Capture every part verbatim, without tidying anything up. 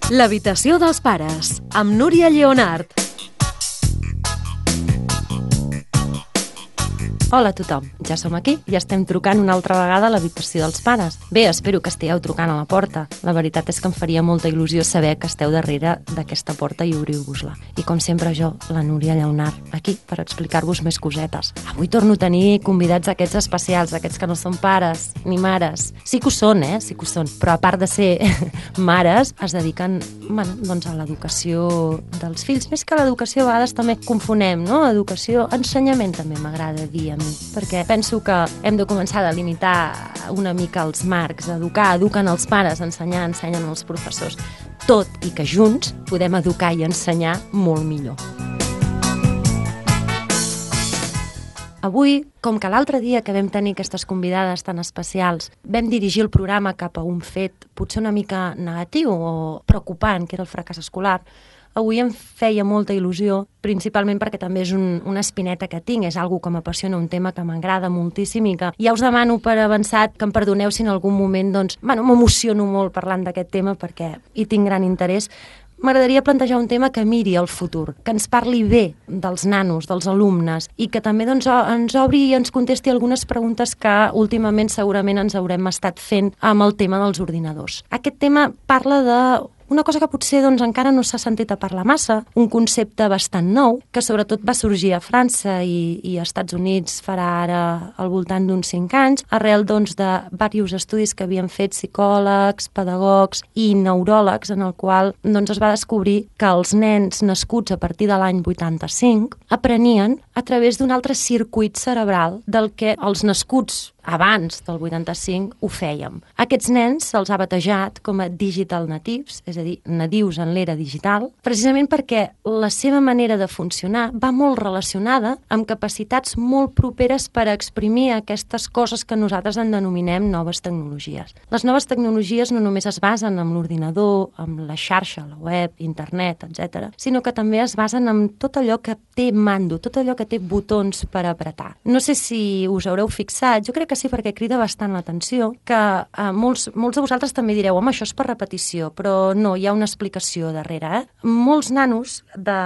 L'habitació dels pares, amb Núria Lleonart. Hola a tothom, ja som aquí i estem trucant una altra vegada a l'habitació dels pares. Bé, espero que estigueu trucant a la porta. La veritat és que em faria molta il·lusió saber que esteu darrere d'aquesta porta i obriu-vos-la. I com sempre jo, la Núria Lleonart, aquí per explicar-vos més cosetes. Avui torno a tenir convidats aquests especials, aquests que no són pares ni mares. Sí que ho són, eh? Sí que ho són. Però a part de ser mares, es dediquen, bueno, doncs a l'educació dels fills. Més que a l'educació, a vegades també confonem, no? Educació, ensenyament també m'agrada dir a mi, perquè penso que hem de començar a delimitar una mica els marcs, educar, eduquen els pares, ensenyar, ensenyen els professors, tot i que junts podem educar i ensenyar molt millor. Avui, com que l'altre dia que vam tenir aquestes convidades tan especials, vam dirigir el programa cap a un fet potser una mica negatiu o preocupant, que era el fracàs escolar, avui em feia molta il·lusió, principalment perquè també és un, una espineta que tinc, és algo que m'apassiona, un tema que m'agrada moltíssim i que ja us demano per avançat que em perdoneu si en algun moment doncs, bueno, m'emociono molt parlant d'aquest tema perquè hi tinc gran interès. M'agradaria plantejar un tema que miri el futur, que ens parli bé dels nanos, dels alumnes, i que també doncs, ens obri i ens contesti algunes preguntes que últimament segurament ens haurem estat fent amb el tema dels ordinadors. Aquest tema parla de una cosa que potser doncs, encara no s'ha sentit a parlar massa, un concepte bastant nou, que sobretot va sorgir a França i, i als Estats Units farà ara al voltant d'uns cinc anys, arrel doncs, de diversos estudis que havien fet psicòlegs, pedagogs i neuròlegs, en el qual doncs, es va descobrir que els nens nascuts a partir de l'any vuitanta-cinc aprenien a través d'un altre circuit cerebral del que els nascuts abans del vuitanta-cinc ho fèiem. Aquests nens se'ls ha batejat com a digital natives, és a dir, nadius en l'era digital, precisament perquè la seva manera de funcionar va molt relacionada amb capacitats molt properes per a exprimir aquestes coses que nosaltres en denominem noves tecnologies. Les noves tecnologies no només es basen en l'ordinador, en la xarxa, la web, internet, etcètera, sinó que també es basen en tot allò que té mando, tot allò que té botons per apretar. No sé si us haureu fixat, jo crec que sí, perquè crida bastant l'atenció, que eh, molts, molts de vosaltres també direu, home, això és per repetició, però no, hi ha una explicació darrere. Eh? Molts nanos de,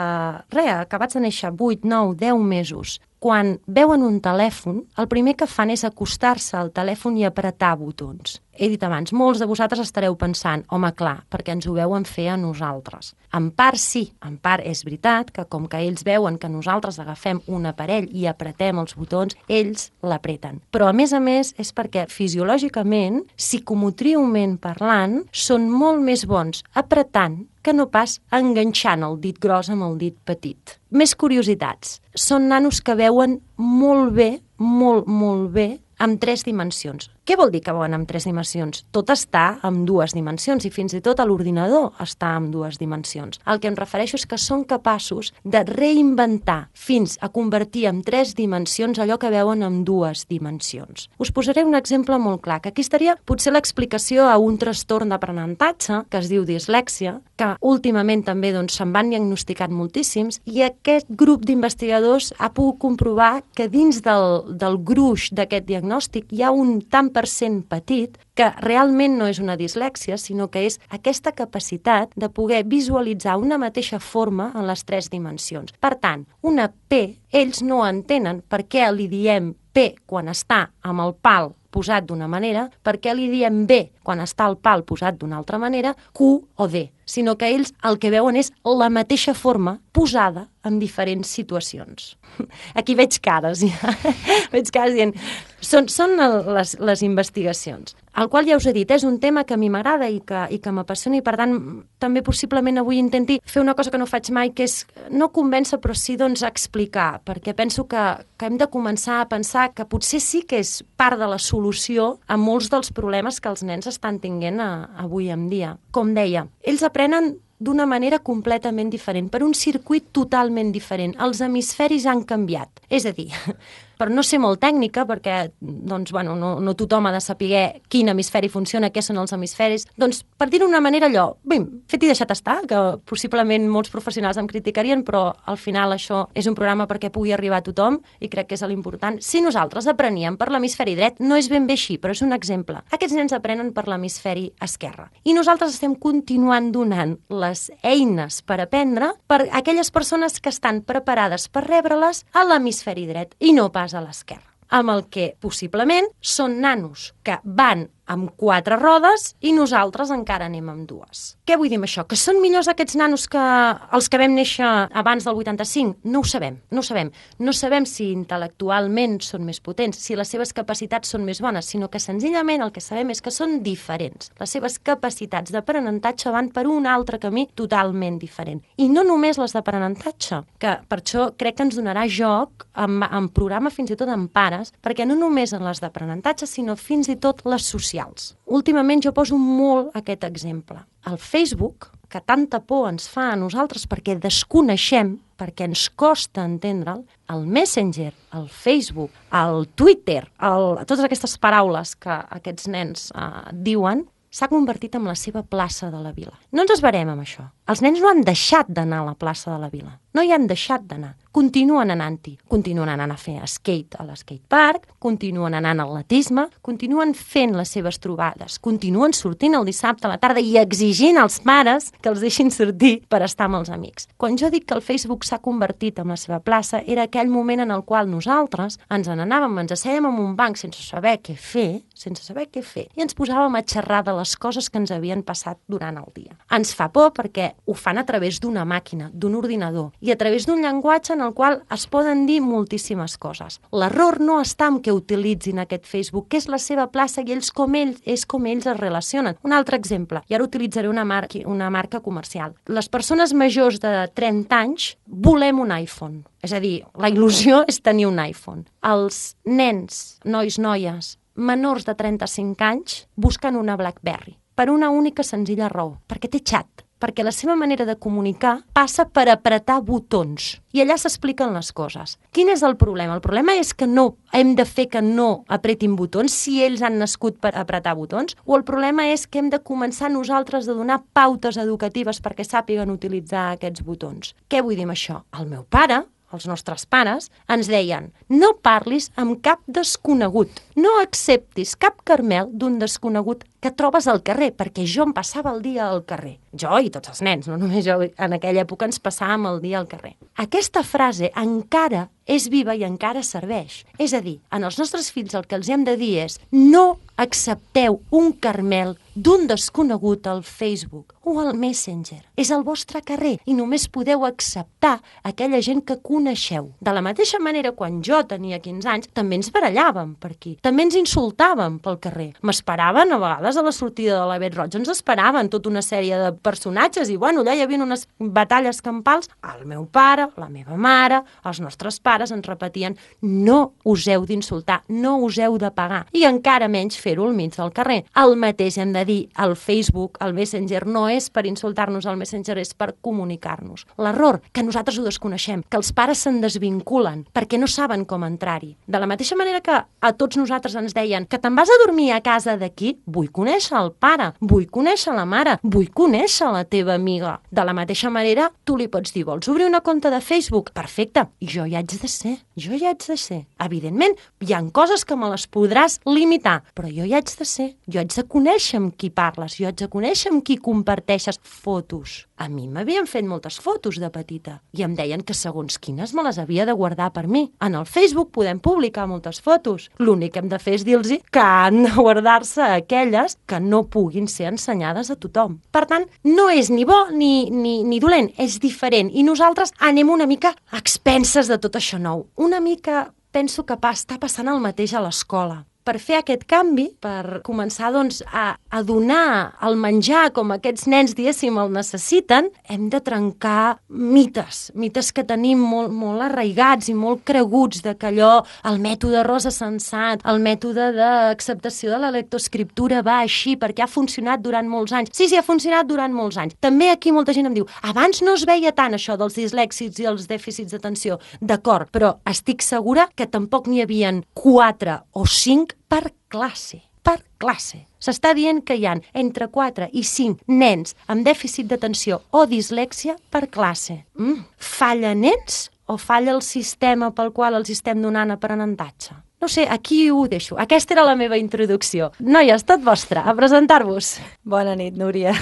res, acabats de néixer, vuit, nou, deu mesos, quan veuen un telèfon, el primer que fan és acostar-se al telèfon i apretar botons. He dit abans, molts de vosaltres estareu pensant, home, clar, perquè ens ho veuen fer a nosaltres. En part sí, en part és veritat que com que ells veuen que nosaltres agafem un aparell i apretem els botons, ells l'apreten. Però a més a més és perquè fisiològicament, psicomotriument parlant, són molt més bons apretant que no pas enganxant el dit gros amb el dit petit. Més curiositats. Són nanos que veuen molt bé, molt, molt bé, amb tres dimensions. Què vol dir que veuen amb tres dimensions? Tot està amb dues dimensions i fins i tot a l'ordinador està amb dues dimensions. El que em refereixo és que són capaços de reinventar fins a convertir en tres dimensions allò que veuen amb dues dimensions. Us posaré un exemple molt clar, que aquí estaria potser l'explicació a un trastorn d'aprenentatge que es diu dislèxia, que últimament també doncs, se'n van diagnosticat moltíssims, i aquest grup d'investigadors ha pogut comprovar que dins del, del gruix d'aquest diagnòstic hi ha un tant per cent petit que realment no és una dislèxia, sinó que és aquesta capacitat de poder visualitzar una mateixa forma en les tres dimensions. Per tant, una P, ells no entenen per què li diem P quan està amb el pal posat d'una manera, per què li diem B quan està el pal posat d'una altra manera, Q o D, sinó que ells el que veuen és la mateixa forma posada en diferents situacions. Aquí veig cares, ja. veig cares dient... Són, són les, les investigacions, el qual ja us he dit, és un tema que a mi m'agrada i que, i que m'apassiona i per tant també possiblement avui intenti fer una cosa que no faig mai, que és no convèncer però sí doncs explicar, perquè penso que, que hem de començar a pensar que potser sí que és part de la solució a molts dels problemes que els nens estan tinguent a, avui en dia. Com deia, ells aprenen d'una manera completament diferent, per un circuit totalment diferent. Els hemisferis han canviat. És a dir, per no ser molt tècnica, perquè doncs, bueno, no, no tothom ha de saber quin hemisferi funciona, què són els hemisferis, doncs per dir-ho d'una manera allò, bim, fet i deixat estar, que possiblement molts professionals em criticarien, però al final això és un programa perquè pugui arribar a tothom i crec que és l'important. Si nosaltres apreníem per l'hemisferi dret, no és ben bé així, però és un exemple. Aquests nens aprenen per l'hemisferi esquerre. I nosaltres estem continuant donant les eines per aprendre per aquelles persones que estan preparades per rebre-les a l'hemisferi dret i no pas a l'esquerra, amb el que possiblement són nanos que van amb quatre rodes i nosaltres encara anem amb dues. Què vull dir amb això? Que són millors aquests nanos que els que vam néixer abans del vuitanta-cinc? No ho sabem, no ho sabem. No sabem si intel·lectualment són més potents, si les seves capacitats són més bones, sinó que senzillament el que sabem és que són diferents. Les seves capacitats d'aprenentatge van per un altre camí totalment diferent. I no només les d'aprenentatge, que per això crec que ens donarà joc en, en programa fins i tot en pares, perquè no només en les d'aprenentatge, sinó fins i tot les socials. Últimament jo poso molt aquest exemple. El Facebook, que tanta por ens fa a nosaltres perquè desconeixem, perquè ens costa entendre'l, el Messenger, el Facebook, el Twitter, el, totes aquestes paraules que aquests nens eh, diuen, s'ha convertit en la seva plaça de la vila. No ens esverem amb això. Els nens no han deixat d'anar a la plaça de la vila. No hi han deixat d'anar. Continuen anant-hi. Continuen anant a fer skate a l'skate park, continuen anant al atletisme, continuen fent les seves trobades, continuen sortint el dissabte a la tarda i exigint als pares que els deixin sortir per estar amb els amics. Quan jo dic que el Facebook s'ha convertit en la seva plaça, era aquell moment en el qual nosaltres ens n'anàvem, ens assèiem en un banc sense saber què fer, sense saber què fer, i ens posàvem a xerrar de les coses que ens havien passat durant el dia. Ens fa por perquè ho fan a través d'una màquina, d'un ordinador, i a través d'un llenguatge en el qual es poden dir moltíssimes coses. L'error no està en que utilitzin aquest Facebook, que és la seva plaça i ells com ells, és com ells es relacionen. Un altre exemple, i ara utilitzaré una marca, una marca comercial. Les persones majors de trenta anys volem un iPhone. És a dir, la il·lusió és tenir un iPhone. Els nens, nois, noies, menors de trenta-cinc anys busquen una BlackBerry per una única senzilla raó, perquè té xat, perquè la seva manera de comunicar passa per apretar botons i allà s'expliquen les coses. Quin és el problema? El problema és que no hem de fer que no apretin botons si ells han nascut per apretar botons, o el problema és que hem de començar nosaltres a donar pautes educatives perquè sàpiguen utilitzar aquests botons. Què vull dir amb això? El meu pare, els nostres pares, ens deien: no parlis amb cap desconegut, no acceptis cap carmel d'un desconegut que trobes al carrer, perquè jo em passava el dia al carrer. Jo i tots els nens, no només jo, en aquella època ens passàvem el dia al carrer. Aquesta frase encara és viva i encara serveix. És a dir, en els nostres fills el que els hem de dir és: no accepteu un carmel d'un desconegut al Facebook o al Messenger. És el vostre carrer i només podeu acceptar aquella gent que coneixeu. De la mateixa manera, quan jo tenia quinze anys, també ens barallàvem per aquí. També ens insultàvem pel carrer. M'esperaven a vegades a la sortida de la Bet Roig, ens esperaven tota una sèrie de personatges i bueno, allà hi havia unes batalles campals. El meu pare, la meva mare, els nostres pares ens repetien: no us heu d'insultar, no us heu de pagar, i encara menys fer-ho al mig del carrer. El mateix hem de dir, el Facebook, el Messenger, no és per insultar-nos, el Messenger és per comunicar-nos. L'error, que nosaltres ho desconeixem, que els pares se'n desvinculen perquè no saben com entrar-hi. De la mateixa manera que a tots nosaltres ens deien que te'n vas a dormir a casa d'aquí, vull conèixer el pare, vull conèixer la mare, vull conèixer la teva amiga. De la mateixa manera, tu li pots dir: vols obrir una compte de Facebook? Perfecte, jo hi haig de ser, jo hi haig de ser. Evidentment, hi ha coses que me les podràs limitar, però jo hi haig de ser, jo haig de conèixer amb qui parles, jo haig de conèixer amb qui comparteixes fotos. A mi m'havien fet moltes fotos de petita i em deien que segons quines me les havia de guardar per mi. En el Facebook podem publicar moltes fotos. L'únic que hem de fer és dir-los que han de guardar-se aquelles que no puguin ser ensenyades a tothom. Per tant, no és ni bo ni, ni, ni dolent, és diferent. I nosaltres anem una mica a expenses de tot això nou. Una mica penso que està passant el mateix a l'escola. per fer aquest canvi, per començar doncs, a, a donar el menjar com aquests nens, diguéssim, el necessiten, hem de trencar mites, mites que tenim molt, molt arraigats i molt creguts, de que allò, el mètode Rosa Sensat, el mètode d'acceptació de la lectoescriptura va així perquè ha funcionat durant molts anys. Sí, sí, ha funcionat durant molts anys. També aquí molta gent em diu, abans no es veia tant això dels dislèxics i els dèficits d'atenció. D'acord, però estic segura que tampoc n'hi havia quatre o cinc per classe. Per classe. S'està dient que hi ha entre quatre i cinc nens amb dèficit d'atenció o dislèxia per classe. Mm. Falla nens o falla el sistema pel qual els estem donant aprenentatge? No sé, aquí ho deixo. Aquesta era la meva introducció. Noies, tot vostre, a presentar-vos. Bona nit, Núria.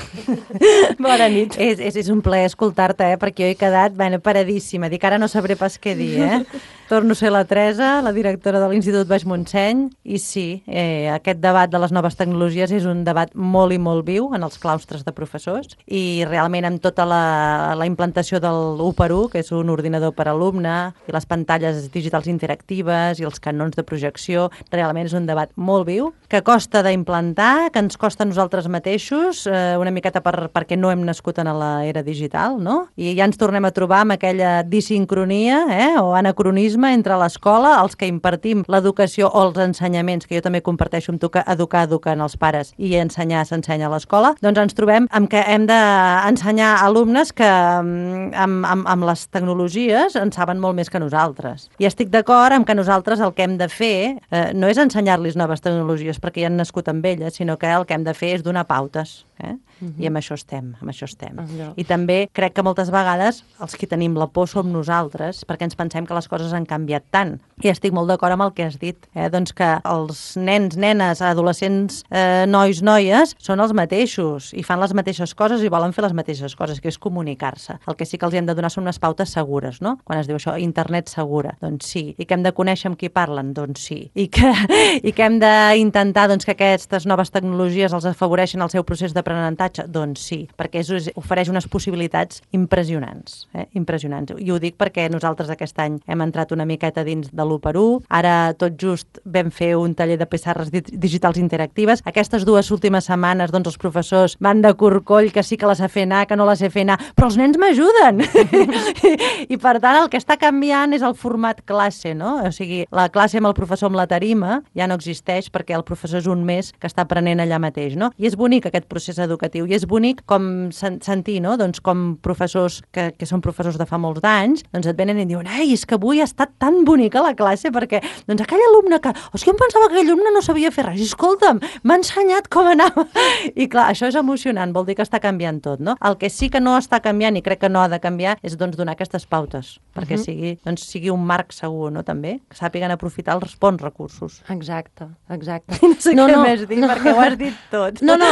Bona nit. És, és, és un plaer escoltar-te, eh? Perquè jo he quedat bueno, paradíssima. Dic, ara no sabré pas què dir, eh? Torno a ser la Teresa, la directora de l'Institut Baix Montseny, i sí, eh, aquest debat de les noves tecnologies és un debat molt i molt viu en els claustres de professors, i realment amb tota la, la implantació del u per u, que és un ordinador per alumne, i les pantalles digitals interactives i els canons de projecció, realment és un debat molt viu, que costa d'implantar, que ens costa a nosaltres mateixos, eh, una miqueta per, perquè no hem nascut en l'era digital, no? I ja ens tornem a trobar amb aquella disincronia, eh, o anacronisme entre l'escola, els que impartim l'educació o els ensenyaments, que jo també comparteixo amb tu que educar, eduquen els pares i ensenyar s'ensenya a l'escola, doncs ens trobem amb que hem d'ensenyar alumnes que amb, amb, amb les tecnologies en saben molt més que nosaltres. I estic d'acord amb que nosaltres el que hem de fer eh, no és ensenyar-los noves tecnologies perquè ja han nascut amb elles, sinó que el que hem de fer és donar pautes. Eh? Uh-huh. I amb això estem, amb això estem. Uh-huh. I també crec que moltes vegades els que tenim la por som nosaltres, perquè ens pensem que les coses han canviat tant. I estic molt d'acord amb el que has dit, eh? Doncs que els nens, nenes, adolescents, eh, nois, noies, són els mateixos i fan les mateixes coses i volen fer les mateixes coses, que és comunicar-se. El que sí que els hem de donar són unes pautes segures, no? Quan es diu això, internet segura, doncs sí. I que hem de conèixer amb qui parlen, doncs sí. I que, i que hem d'intentar doncs, que aquestes noves tecnologies els afavoreixen el seu procés d'aprenentatge, doncs sí, perquè és, ofereix unes possibilitats impressionants, eh? Impressionants. I ho dic perquè nosaltres aquest any hem entrat una miqueta dins de l'u per u, ara tot just vam fer un taller de pissarres digitals interactives. Aquestes dues últimes setmanes doncs, els professors van de corcoll, que sí que les sé fer anar, que no les sé fer anar, però els nens m'ajuden! I, I per tant el que està canviant és el format classe, no? O sigui, la classe amb el professor amb la tarima ja no existeix perquè el professor és un mes que està aprenent allà mateix, no? I és bonic aquest procés educatiu, i és bonic com sen sentir, no? Doncs com professors que, que són professors de fa molts anys, doncs et venen i diuen, ei, és que avui ha estat tan bonica la classe perquè, doncs aquell alumne que, o sigui, em pensava que aquell alumne no sabia fer res, i escolta'm, m'ha ensenyat com anava. I clar, això és emocionant, vol dir que està canviant tot, no? El que sí que no està canviant, i crec que no ha de canviar, és doncs donar aquestes pautes, perquè uh-huh. sigui, doncs, sigui un marc segur, no? També, que sàpiguen aprofitar els bons recursos. Exacte, exacte. No sé no, què no, més dir, no, perquè ho has dit tot. No, no,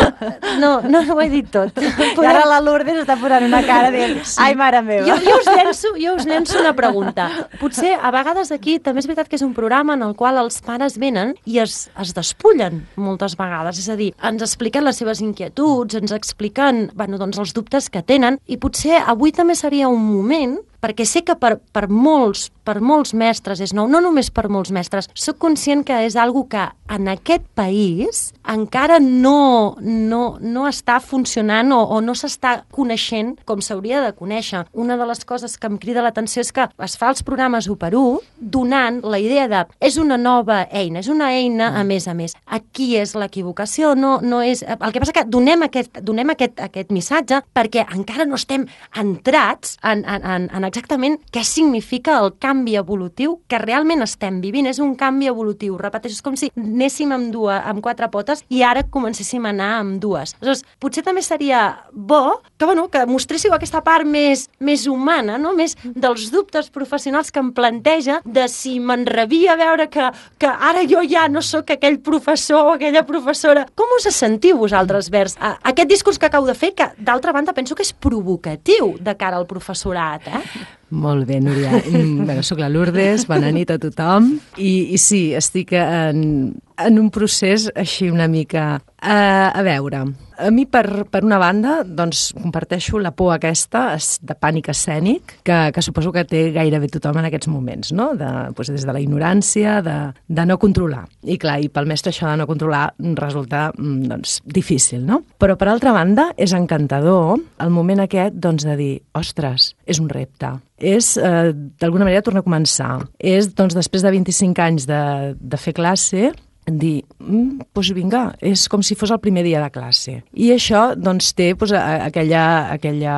no, no, no ho he dit tot. I ara la Lourdes està posant una cara dient, sí. Ai, mare meva. Jo, jo, us llenço, jo us llenço una pregunta. Potser a vegades aquí també és veritat que és un programa en el qual els pares venen i es, es despullen moltes vegades. És a dir, ens expliquen les seves inquietuds, ens expliquen bueno, doncs, els dubtes que tenen, i potser avui també seria un moment, perquè sé que per, per, molts, per molts mestres és nou, no només per molts mestres, soc conscient que és algo que en aquest país encara no, no, no està funcionant o, o no s'està coneixent com s'hauria de conèixer. Una de les coses que em crida l'atenció és que es fa els programes u per u donant la idea de és una nova eina, és una eina a més a més. Aquí és l'equivocació, no, no és... El que passa que donem aquest, donem aquest, aquest missatge perquè encara no estem entrats en, en, en, en exactament què significa el canvi evolutiu que realment estem vivint. És un canvi evolutiu, repeteixo, és com si anéssim amb, dues, amb quatre potes i ara comencéssim a anar amb dues. Aleshores, potser també seria bo que, bueno, que mostréssiu aquesta part més, més humana, no? Més dels dubtes professionals que em planteja de si m'enrabia veure que, que ara jo ja no sóc aquell professor o aquella professora. Com us sentiu vosaltres vers a, aquest discurs que acabo de fer, que d'altra banda penso que és provocatiu de cara al professorat, eh? Molt bé, Núria. Bueno, soc la Lourdes, bona nit a tothom. I, i sí, estic en, en un procés així una mica... Uh, a veure, a mi per, per una banda doncs, comparteixo la por aquesta de pànic escènic que, que suposo que té gairebé tothom en aquests moments, no? De, doncs, des de la ignorància, de, de no controlar. I clar, i pel mestre això de no controlar resulta doncs, difícil, no? Però per altra banda és encantador el moment aquest doncs, de dir, ostres, és un repte. És, eh, d'alguna manera, tornar a començar. És, doncs, després de vint-i-cinc anys de, de fer classe, dir, mm, doncs vinga, és com si fos el primer dia de classe. I això, doncs, té doncs, aquella, aquella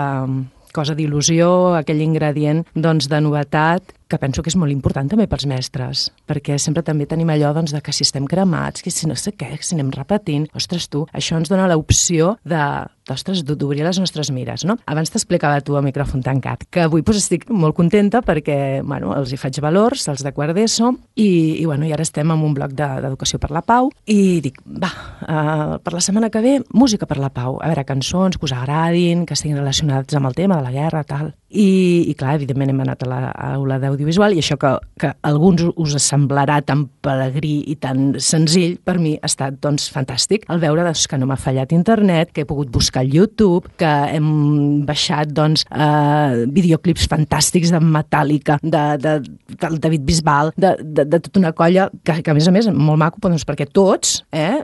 cosa d'il·lusió, aquell ingredient, doncs, de novetat, que penso que és molt important també pels mestres, perquè sempre també tenim allò doncs, de que si estem cremats, que si no sé què, que si anem repetint, ostres, tu, això ens dona l'opció de, ostres, d'obrir les nostres mires, no? Abans t'explicava tu a micròfon tancat, que avui doncs, estic molt contenta perquè, bueno, els hi faig valors, els de quart d'ESO, i, i, bueno, i ara estem en un bloc d'Educació per la Pau, i dic, va, uh, per la setmana que ve, música per la pau, a veure, cançons que us agradin, que estiguin relacionats amb el tema de la guerra, tal. I, i clar, evidentment hem anat a l'aula d'audiovisual i això que, que a alguns us semblarà tan pelegrí i tan senzill, per mi ha estat doncs, fantàstic el veure doncs, que no m'ha fallat internet, que he pogut buscar al YouTube, que hem baixat doncs, eh, videoclips fantàstics de Metallica, de, de, del David Bisbal, de, de, de tota una colla que, que a més a més molt maco, doncs, perquè tots, eh,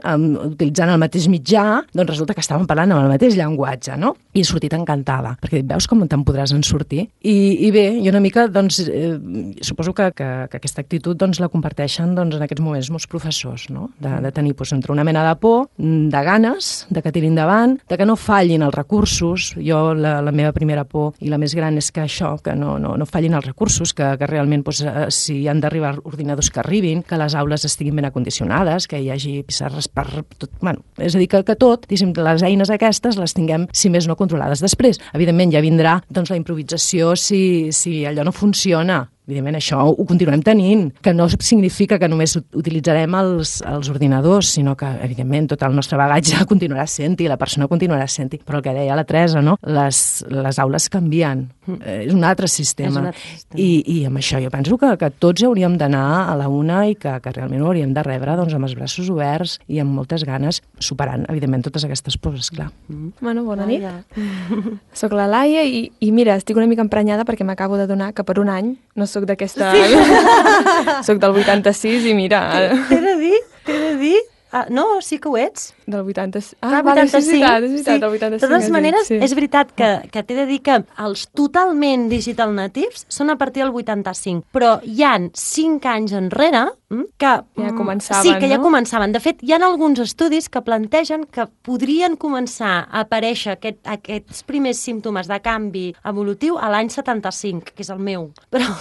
utilitzant el mateix mitjà, doncs resulta que estàvem parlant amb el mateix llenguatge, no? I he sortit encantada, perquè veus com te'n podràs en sortir. I, i bé, jo una mica, doncs, eh, suposo que, que, que aquesta actitud doncs, la comparteixen doncs, en aquests moments molts professors, no? De, de tenir doncs, entre una mena de por, de ganes, de que tirin endavant, de que no fallin els recursos. Jo, la, la meva primera por i la més gran és que això, que no, no, no fallin els recursos, que, que realment, doncs, si han d'arribar ordinadors que arribin, que les aules estiguin ben acondicionades, que hi hagi pissarres per tot, bueno, és a dir, que, que tot, diguéssim, les eines aquestes les tinguem, si més no, controlades. Després, evidentment, ja vindrà doncs, la improvisació si, si allò no funciona. Evidentment, això ho continuem tenint, que no significa que només utilitzarem els, els ordinadors, sinó que, evidentment, tot el nostre bagatge continuarà sent-hi, la persona continuarà sent-hi. Però el que deia la Teresa, no? les, les aules canvien, mm. eh, és un altre sistema. Un altre sistema. I, I amb això jo penso que, que tots hauríem d'anar a la una i que, que realment ho hauríem de rebre doncs, amb els braços oberts i amb moltes ganes, superant, evidentment, totes aquestes pors, clar. Mm. Bueno, bona nit. Soc la Laia i, i mira, estic una mica emprenyada perquè m'acabo de donar que per un any no soc d'aquesta... Sí. Soc del vuitanta-sis i mira... T'he de dir, t'he de dir... Ah, no, sí que ho ets. Del vuitanta-sis. Ah, vale, vuitanta-cinc. És veritat, és veritat, del vuitanta-cinc. De totes maneres, sí. És veritat que, que t'he de dir que els totalment digital natives són a partir del vuitanta-cinc, però hi han cinc anys enrere que... Ja començaven, sí, que ja no? començaven. De fet, hi ha alguns estudis que plantegen que podrien començar a aparèixer aquest, aquests primers símptomes de canvi evolutiu a l'any setanta-cinc, que és el meu. Però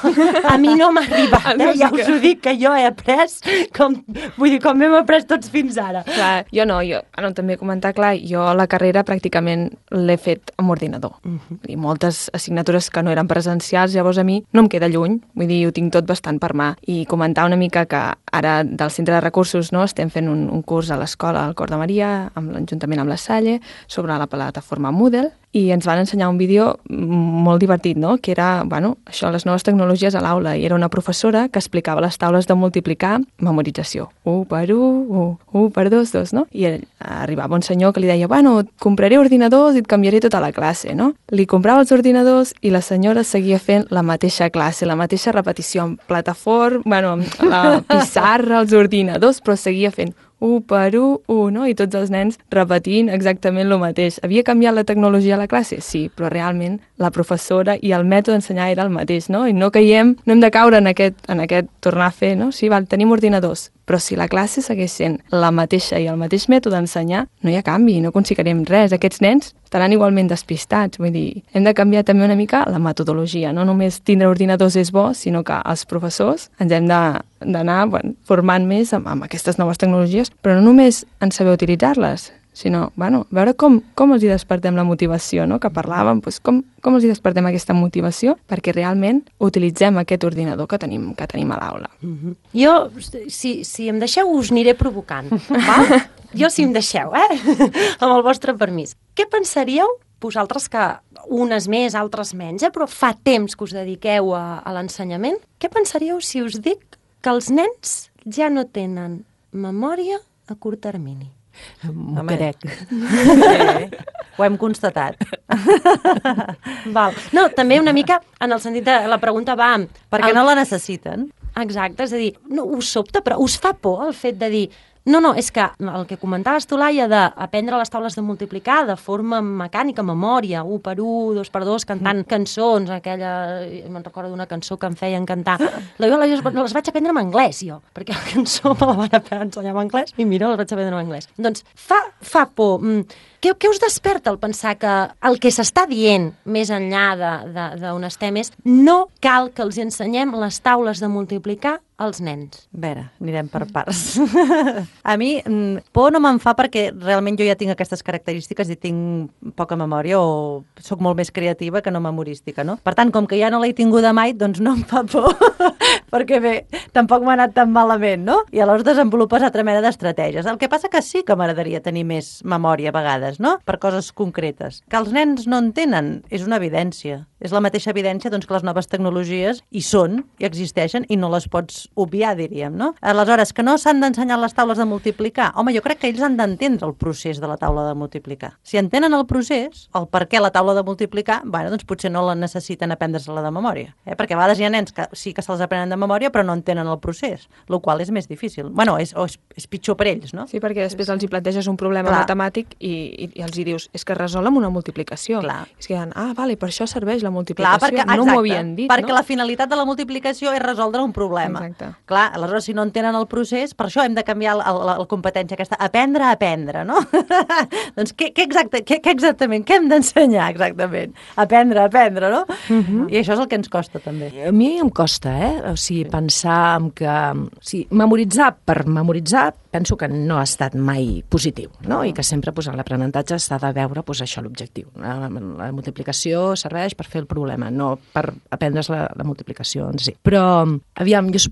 a mi no m'ha arribat, eh? Ja us ho dic, que jo he après com... Vull dir, com hem après tots fins ara. Clar, jo no, jo, ara també comentar, clar, jo la carrera pràcticament l'he fet amb ordinador. Uh -huh. I moltes assignatures que no eren presencials, llavors a mi no em queda lluny, vull dir, ho tinc tot bastant per mà. I comentar una mica que ara del Centre de Recursos no, estem fent un, un curs a l'escola al Cor de Maria, amb l'Ajuntament amb la Salle, sobre la plataforma Moodle, i ens van ensenyar un vídeo molt divertit, no? Que era, bueno, això, les noves tecnologies a l'aula, i era una professora que explicava les taules de multiplicar, memorització. u per u, u, u per dos, dos, no? I ell, arribava un senyor que li deia, bueno, et compraré ordinadors i et canviaré tota la classe, no? Li comprava els ordinadors i la senyora seguia fent la mateixa classe, la mateixa repetició, amb plataforma, bueno, amb la pissarra, els ordinadors, però seguia fent u per u, u, no? I tots els nens repetint exactament el mateix. Havia canviat la tecnologia a la classe? Sí, però realment la professora i el mètode d'ensenyar era el mateix, no? I no caiem, no hem de caure en aquest, en aquest tornar a fer, no? Sí, val, tenim ordinadors, però si la classe segueix sent la mateixa i el mateix mètode d'ensenyar, no hi ha canvi, no aconseguirem res. Aquests nens estaran igualment despistats, vull dir, hem de canviar també una mica la metodologia, no només tindre ordinadors és bo, sinó que els professors ens hem d'anar bueno, formant més amb, amb aquestes noves tecnologies, però no només en saber utilitzar-les, sinó, bueno, veure com, com els hi despertem la motivació, no? Que parlàvem, doncs com, com els hi despertem aquesta motivació perquè realment utilitzem aquest ordinador que tenim, que tenim a l'aula. Mm-hmm. Jo, si, si em deixeu, us aniré provocant, val? Jo, si em deixeu, eh? Amb el vostre permís. Què pensaríeu vosaltres que unes més, altres menys, eh? Però fa temps que us dediqueu a, a l'ensenyament, què pensaríeu si us dic que els nens ja no tenen memòria a curt termini? M'ho crec. Sí, ho hem constatat. Val. No, també una mica en el sentit de la pregunta va... Perquè el... no la necessiten. Exacte, és a dir, no, us sobta, però us fa por el fet de dir no, no, és que el que comentaves tu, Laia, d'aprendre les taules de multiplicar de forma mecànica, memòria, un per un, dos per dos, cantant mm. cançons, aquella... Me'n recordo d'una cançó que em feien cantar. La jo les, les vaig aprendre en anglès, jo, perquè la cançó me la van ensenyar en anglès i mira, les vaig aprendre en anglès. Doncs fa, fa por... Què, què us desperta el pensar que el que s'està dient més enllà d'on estem és no cal que els ensenyem les taules de multiplicar als nens? A veure, anirem per parts. A mi, por no me'n fa perquè realment jo ja tinc aquestes característiques i tinc poca memòria o sóc molt més creativa que no memorística, no? Per tant, com que ja no l'he tinguda mai, doncs no em fa por, perquè bé, tampoc m'ha anat tan malament, no? I aleshores desenvolupes altra mena d'estratègies. El que passa que sí que m'agradaria tenir més memòria a vegades, no? Per coses concretes. Que els nens no en tenen és una evidència. És la mateixa evidència doncs, que les noves tecnologies hi són, i existeixen, i no les pots obviar, diríem, no? Aleshores, que no s'han d'ensenyar les taules de multiplicar. Home, jo crec que ells han d'entendre el procés de la taula de multiplicar. Si entenen el procés, el per què la taula de multiplicar, bueno, doncs potser no la necessiten aprendre-se-la de memòria. Eh? Perquè a vegades hi ha nens que sí que se'ls aprenen de memòria, però no entenen el procés, el qual és més difícil. Bueno, és, és, és pitjor per ells, no? Sí, perquè després els hi planteges un problema Clar. matemàtic i, i, i els hi dius, és que resol amb una multiplicació. Clar. És que diuen, ah, vale, per això serveix la multiplicació. Clar, perquè, exacte, no m'ho havien dit, perquè no? la finalitat de la multiplicació és resoldre un problema. Exacte. Clar, aleshores, si no entenen el procés, per això hem de canviar la, la, la competència aquesta, aprendre a aprendre, no? Doncs què, què, exacte, què, què exactament? Què hem d'ensenyar exactament? Aprendre a aprendre, no? Uh-huh. I això és el que ens costa, també. A mi em costa, eh? O sigui, pensar en que... O sigui, memoritzar per memoritzar penso que no ha estat mai positiu, no? I que sempre pues, en l'aprenentatge s'ha de veure pues, això l'objectiu. La, la multiplicació serveix per fer el problema, no per aprendre's la, la multiplicació en si. Però, aviam, jo,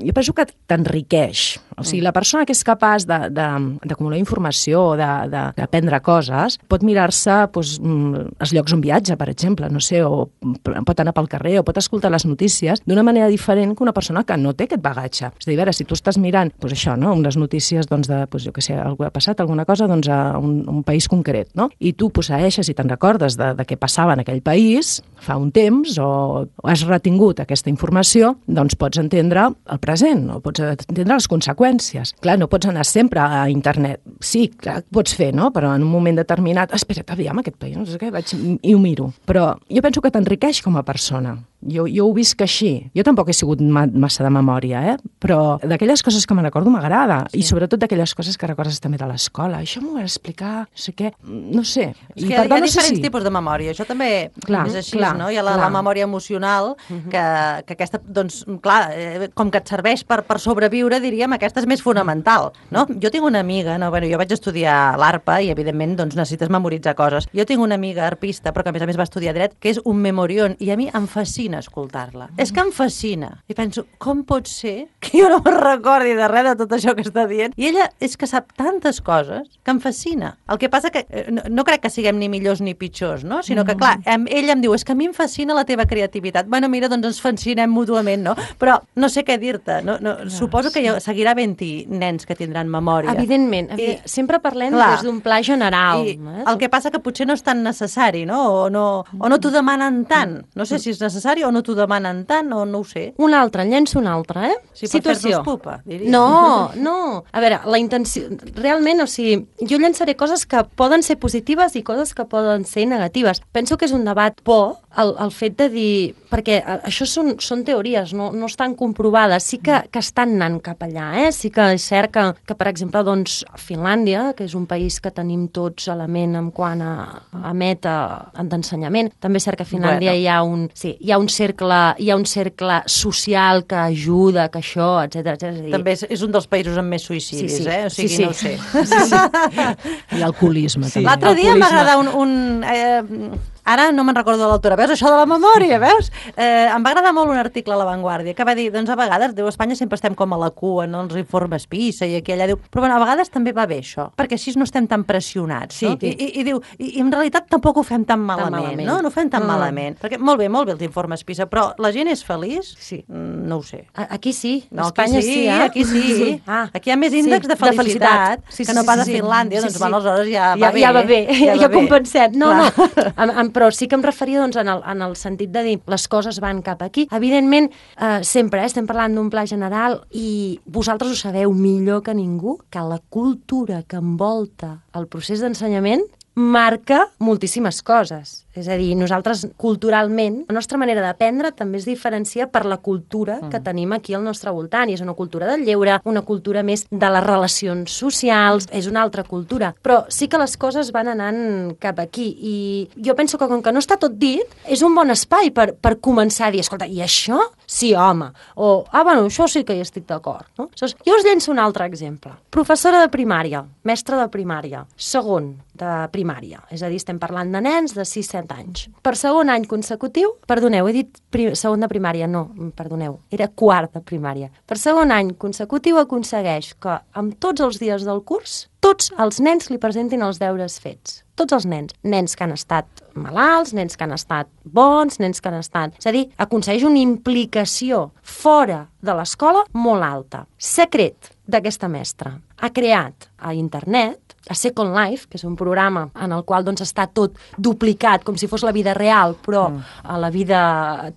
jo penso que t'enriqueix. O sigui, la persona que és capaç d'acumular informació, d'aprendre coses, pot mirar-se pues, els llocs on viatja, per exemple, no sé, o pot anar pel carrer, o pot escoltar les notícies d'una manera diferent que una persona que no té aquest bagatge. És a dir, a veure, si tu estàs mirant pues, això, no? unes notícies doncs, de, pues, jo què sé, algú ha passat alguna cosa doncs, a un, un país concret, no? I tu posseeixes i te'n recordes de, de què passava en aquell país fa un temps o, o has retingut aquesta informació, doncs pots entendre el present, o pots entendre les conseqüències. Clar, no pots anar sempre a internet. Sí, clar, pots fer, no? Però en un moment determinat, espera't, aviam, aquest país, no sé què, vaig i ho miro. Però jo penso que t'enriqueix com a persona. Jo, jo ho visc així. Jo tampoc he sigut ma massa de memòria, eh? Però d'aquelles coses que me recordo m'agrada. Sí. I sobretot d'aquelles coses que recordes també de l'escola. Això m'ho va explicar, no sé què, no sé. És I que per hi ha, tant, hi ha no diferents sé si... tipus de memòria. Això també clar, és així, clar, no? Hi ha la, la memòria emocional, uh-huh. que, que aquesta, doncs, clar, eh, com que et serveix per, per sobreviure, diríem, aquesta és més fonamental, no? Jo tinc una amiga, no? Bueno, jo vaig estudiar l'arpa i, evidentment, doncs, necessites memoritzar coses. Jo tinc una amiga arpista, però que, a més a més, va estudiar dret, que és un memorion, i a mi em fascina escoltar-la. Mm. És que em fascina. I penso, com pot ser que jo no me'n recordi de res de tot això que està dient? I ella és que sap tantes coses que em fascina. El que passa que no, no crec que siguem ni millors ni pitjors, no? Sinó que, clar, em, ella em diu, és que a mi em fascina la teva creativitat. Bueno, mira, doncs ens fascinem mútuament, no? Però no sé què dir-te. No, no, no, suposo que hi seguirà havent-hi nens que tindran memòria. Evidentment. I, sempre parlem clar, des d'un pla general. I eh? El que passa que potser no és tan necessari, no? O no, o no t'ho demanen tant. No sé si és necessari o no t'ho demanen tant, o no ho sé. Un altre, en llenço un altre, eh? Sí, per fer-nos pupa, diria. No, no. A veure, la intenció... Realment, o sigui, jo llançaré coses que poden ser positives i coses que poden ser negatives. Penso que és un debat por el, el fet de dir... Perquè això són, són teories, no, no estan comprovades. Sí que, que estan anant cap allà, eh? Sí que és cert que, que per exemple, doncs, Finlàndia, que és un país que tenim tots element en quant a, a meta d'ensenyament, també és cert que a Finlàndia bueno. hi, ha un, sí, hi ha un cercle hi ha un cercle social que ajuda, que això, etcètera, etcètera. També és, és un dels països amb més suïcidis, sí, sí. eh? O sigui, sí, sí. no ho sé. Sí, sí. I alcoholisme, sí. també. L'altre dia m'agrada un... un eh, Ara no me'n recordo de l'autora. Veus, això de la memòria, veus? Eh, em va agradar molt un article a La Vanguardia que va dir, doncs a vegades, diu, a Espanya sempre estem com a la cua, no? Els informes PISA i aquí allà, diu, però bueno, a vegades també va bé això, perquè així no estem tan pressionats, Sí, no? I, i, i diu, i, i en realitat tampoc ho fem tan malament, malament. no? No ho fem tan No. malament. Perquè molt bé, molt bé els informes PISA, però la gent és feliç? Sí. Mm, no ho sé. A- Aquí sí, a No, Espanya aquí sí, sí, eh? aquí sí. Ah, Aquí hi ha més sí, índexs de de felicitat. felicitat, Sí, sí, que no sí, pas a sí. Finlàndia, Sí, doncs sí. bueno, aleshores ja va ja, bé. ja va bé, ja, va ja bé. compensem. No, Clar. no, em, em, però sí que em referia doncs, en, el, en el sentit de dir les coses van cap aquí. Evidentment, eh, sempre eh, estem parlant d'un pla general i vosaltres ho sabeu millor que ningú, que la cultura que envolta el procés d'ensenyament marca moltíssimes coses. És a dir, nosaltres culturalment, la nostra manera d'aprendre també es diferencia per la cultura que tenim aquí al nostre voltant. I és una cultura del lleure, una cultura més de les relacions socials, és una altra cultura. Però sí que les coses van anant cap aquí. I jo penso que com que no està tot dit, és un bon espai per, per començar a dir, escolta, i això? Sí, home. O, ah, bueno, això sí que hi estic d'acord. No? Aleshores, jo us llenço un altre exemple. Professora de primària, mestra de primària, segon de primària. És a dir, estem parlant de nens de sis set anys. Per segon any consecutiu, perdoneu, he dit prim, segon de primària, no, perdoneu, era quart de primària. Per segon any consecutiu aconsegueix que amb tots els dies del curs, tots els nens li presentin els deures fets. Tots els nens. Nens que han estat malalts, nens que han estat bons, nens que han estat... És a dir, aconsegueix una implicació fora de l'escola molt alta. Secret d'aquesta mestra. Ha creat a internet a Second Life, que és un programa en el qual doncs, està tot duplicat, com si fos la vida real, però mm. a la vida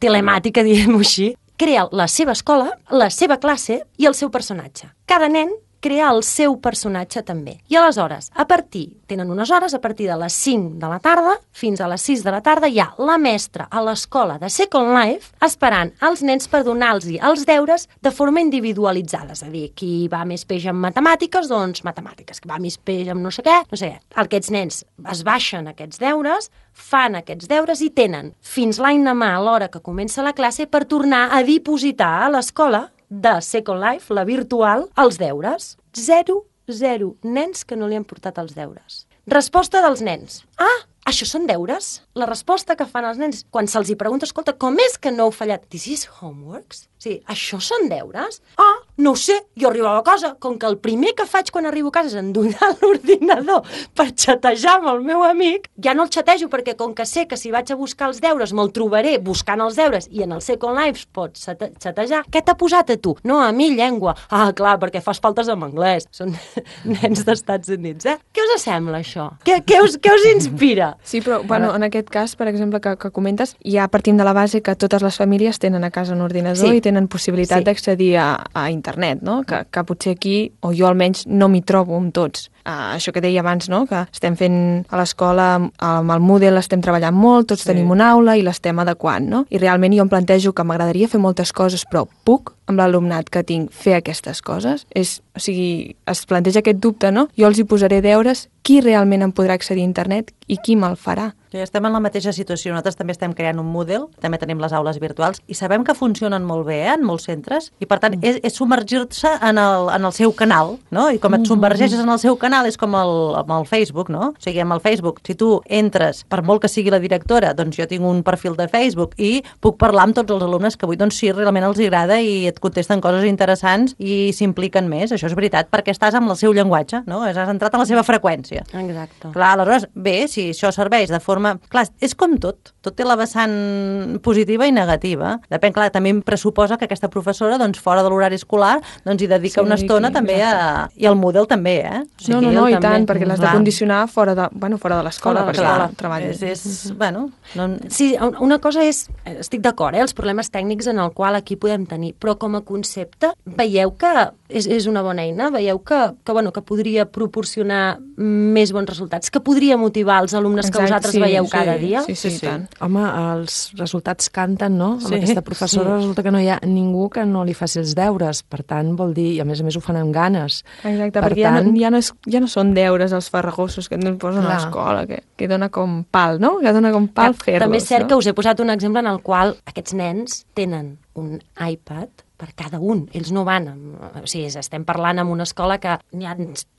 telemàtica, diguem-ho així, crea la seva escola, la seva classe i el seu personatge. Cada nen crea el seu personatge també. I aleshores, a partir, tenen unes hores, a partir de les cinc de la tarda fins a les sis de la tarda, hi ha la mestra a l'escola de Second Life esperant els nens per donar-los els deures de forma individualitzada. És a dir, qui va més peix en matemàtiques, doncs matemàtiques. Qui va més peix en no sé què, no sé què. Aquests nens es baixen aquests deures, fan aquests deures i tenen fins l'any demà a l'hora que comença la classe per tornar a dipositar a l'escola de Second Life, la virtual, els deures. Zero, zero nens que no li han portat els deures. Resposta dels nens. Ah, això són deures? La resposta que fan els nens quan se'ls hi pregunta, escolta, com és que no heu fallat? This is homeworks? Sí, això són deures? Ah, no ho sé, jo arribava a casa, com que el primer que faig quan arribo a casa és endonar l'ordinador per xatejar amb el meu amic, ja no el xatejo perquè com que sé que si vaig a buscar els deures me'l trobaré buscant els deures i en el Second Life pots xatejar. Què t'ha posat a tu? No, a mi llengua. Ah, clar, perquè fas faltes en anglès. Són nens d'Estats Units, eh? Què us sembla això? Què, què, us, què us inspira? Sí, però bueno, en aquest cas, per exemple, que, que comentes, ja partim de la base que totes les famílies tenen a casa un ordinador Sí. i tenen possibilitat Sí. d'accedir a, a internet, no? Que, que potser aquí, o jo almenys, no m'hi trobo amb tots. Uh, això que deia abans, no? Que estem fent a l'escola, amb el Moodle estem treballant molt, tots Sí. tenim una aula i l'estem adequant, no? I realment jo em plantejo que m'agradaria fer moltes coses, però puc, amb l'alumnat que tinc, fer aquestes coses? És, o sigui, es planteja aquest dubte, no? Jo els hi posaré deures, qui realment em podrà accedir a internet i qui me'l farà? Ja estem en la mateixa situació. Nosaltres també estem creant un Moodle, també tenim les aules virtuals, i sabem que funcionen molt bé eh, en molts centres, i per tant és, és submergir-se en, el, en el seu canal, no? I com et submergeixes en el seu canal és com el, amb el Facebook, no? O sigui, amb el Facebook, si tu entres, per molt que sigui la directora, doncs jo tinc un perfil de Facebook i puc parlar amb tots els alumnes que vull, doncs sí, realment els agrada i et contesten coses interessants i s'impliquen més, això és veritat, perquè estàs amb el seu llenguatge, no? Has entrat en la seva freqüència. Exacte. Clar, aleshores, bé, si això serveix de forma... Clar, és com tot. Tot té la vessant positiva i negativa. Depèn, clar, també em pressuposa que aquesta professora, doncs, fora de l'horari escolar, doncs hi dedica Sí, una estona sí, també a... I al Moodle també, eh? O No, no, no, ell i tant, perquè l'has de Clar. condicionar fora de, bueno, fora de l'escola, Fora de perquè Clar, treballes. és, és, bueno... No... Sí, una cosa és, estic d'acord, eh, els problemes tècnics en el qual aquí podem tenir, però com a concepte veieu que és, és una bona eina, veieu que, que, bueno, que podria proporcionar més bons resultats, que podria motivar els alumnes que Exacte, vosaltres sí, veieu sí, cada dia? Sí, sí, sí, tant. Home, els resultats canten, no? Amb Sí, aquesta professora sí. resulta que no hi ha ningú que no li faci els deures. Per tant, vol dir, i a més a més ho fan amb ganes. Exacte, Per perquè ja, tant, no, ja, no és, ja no són deures els farragosos que ens posen Clar. a l'escola, que, que dona com pal, no? Que dona com pal Que fer-los. també és cert no? que us he posat un exemple en el qual aquests nens tenen un iPad per cada un. Ells no van... Amb, o sigui, estem parlant amb una escola que n'hi ha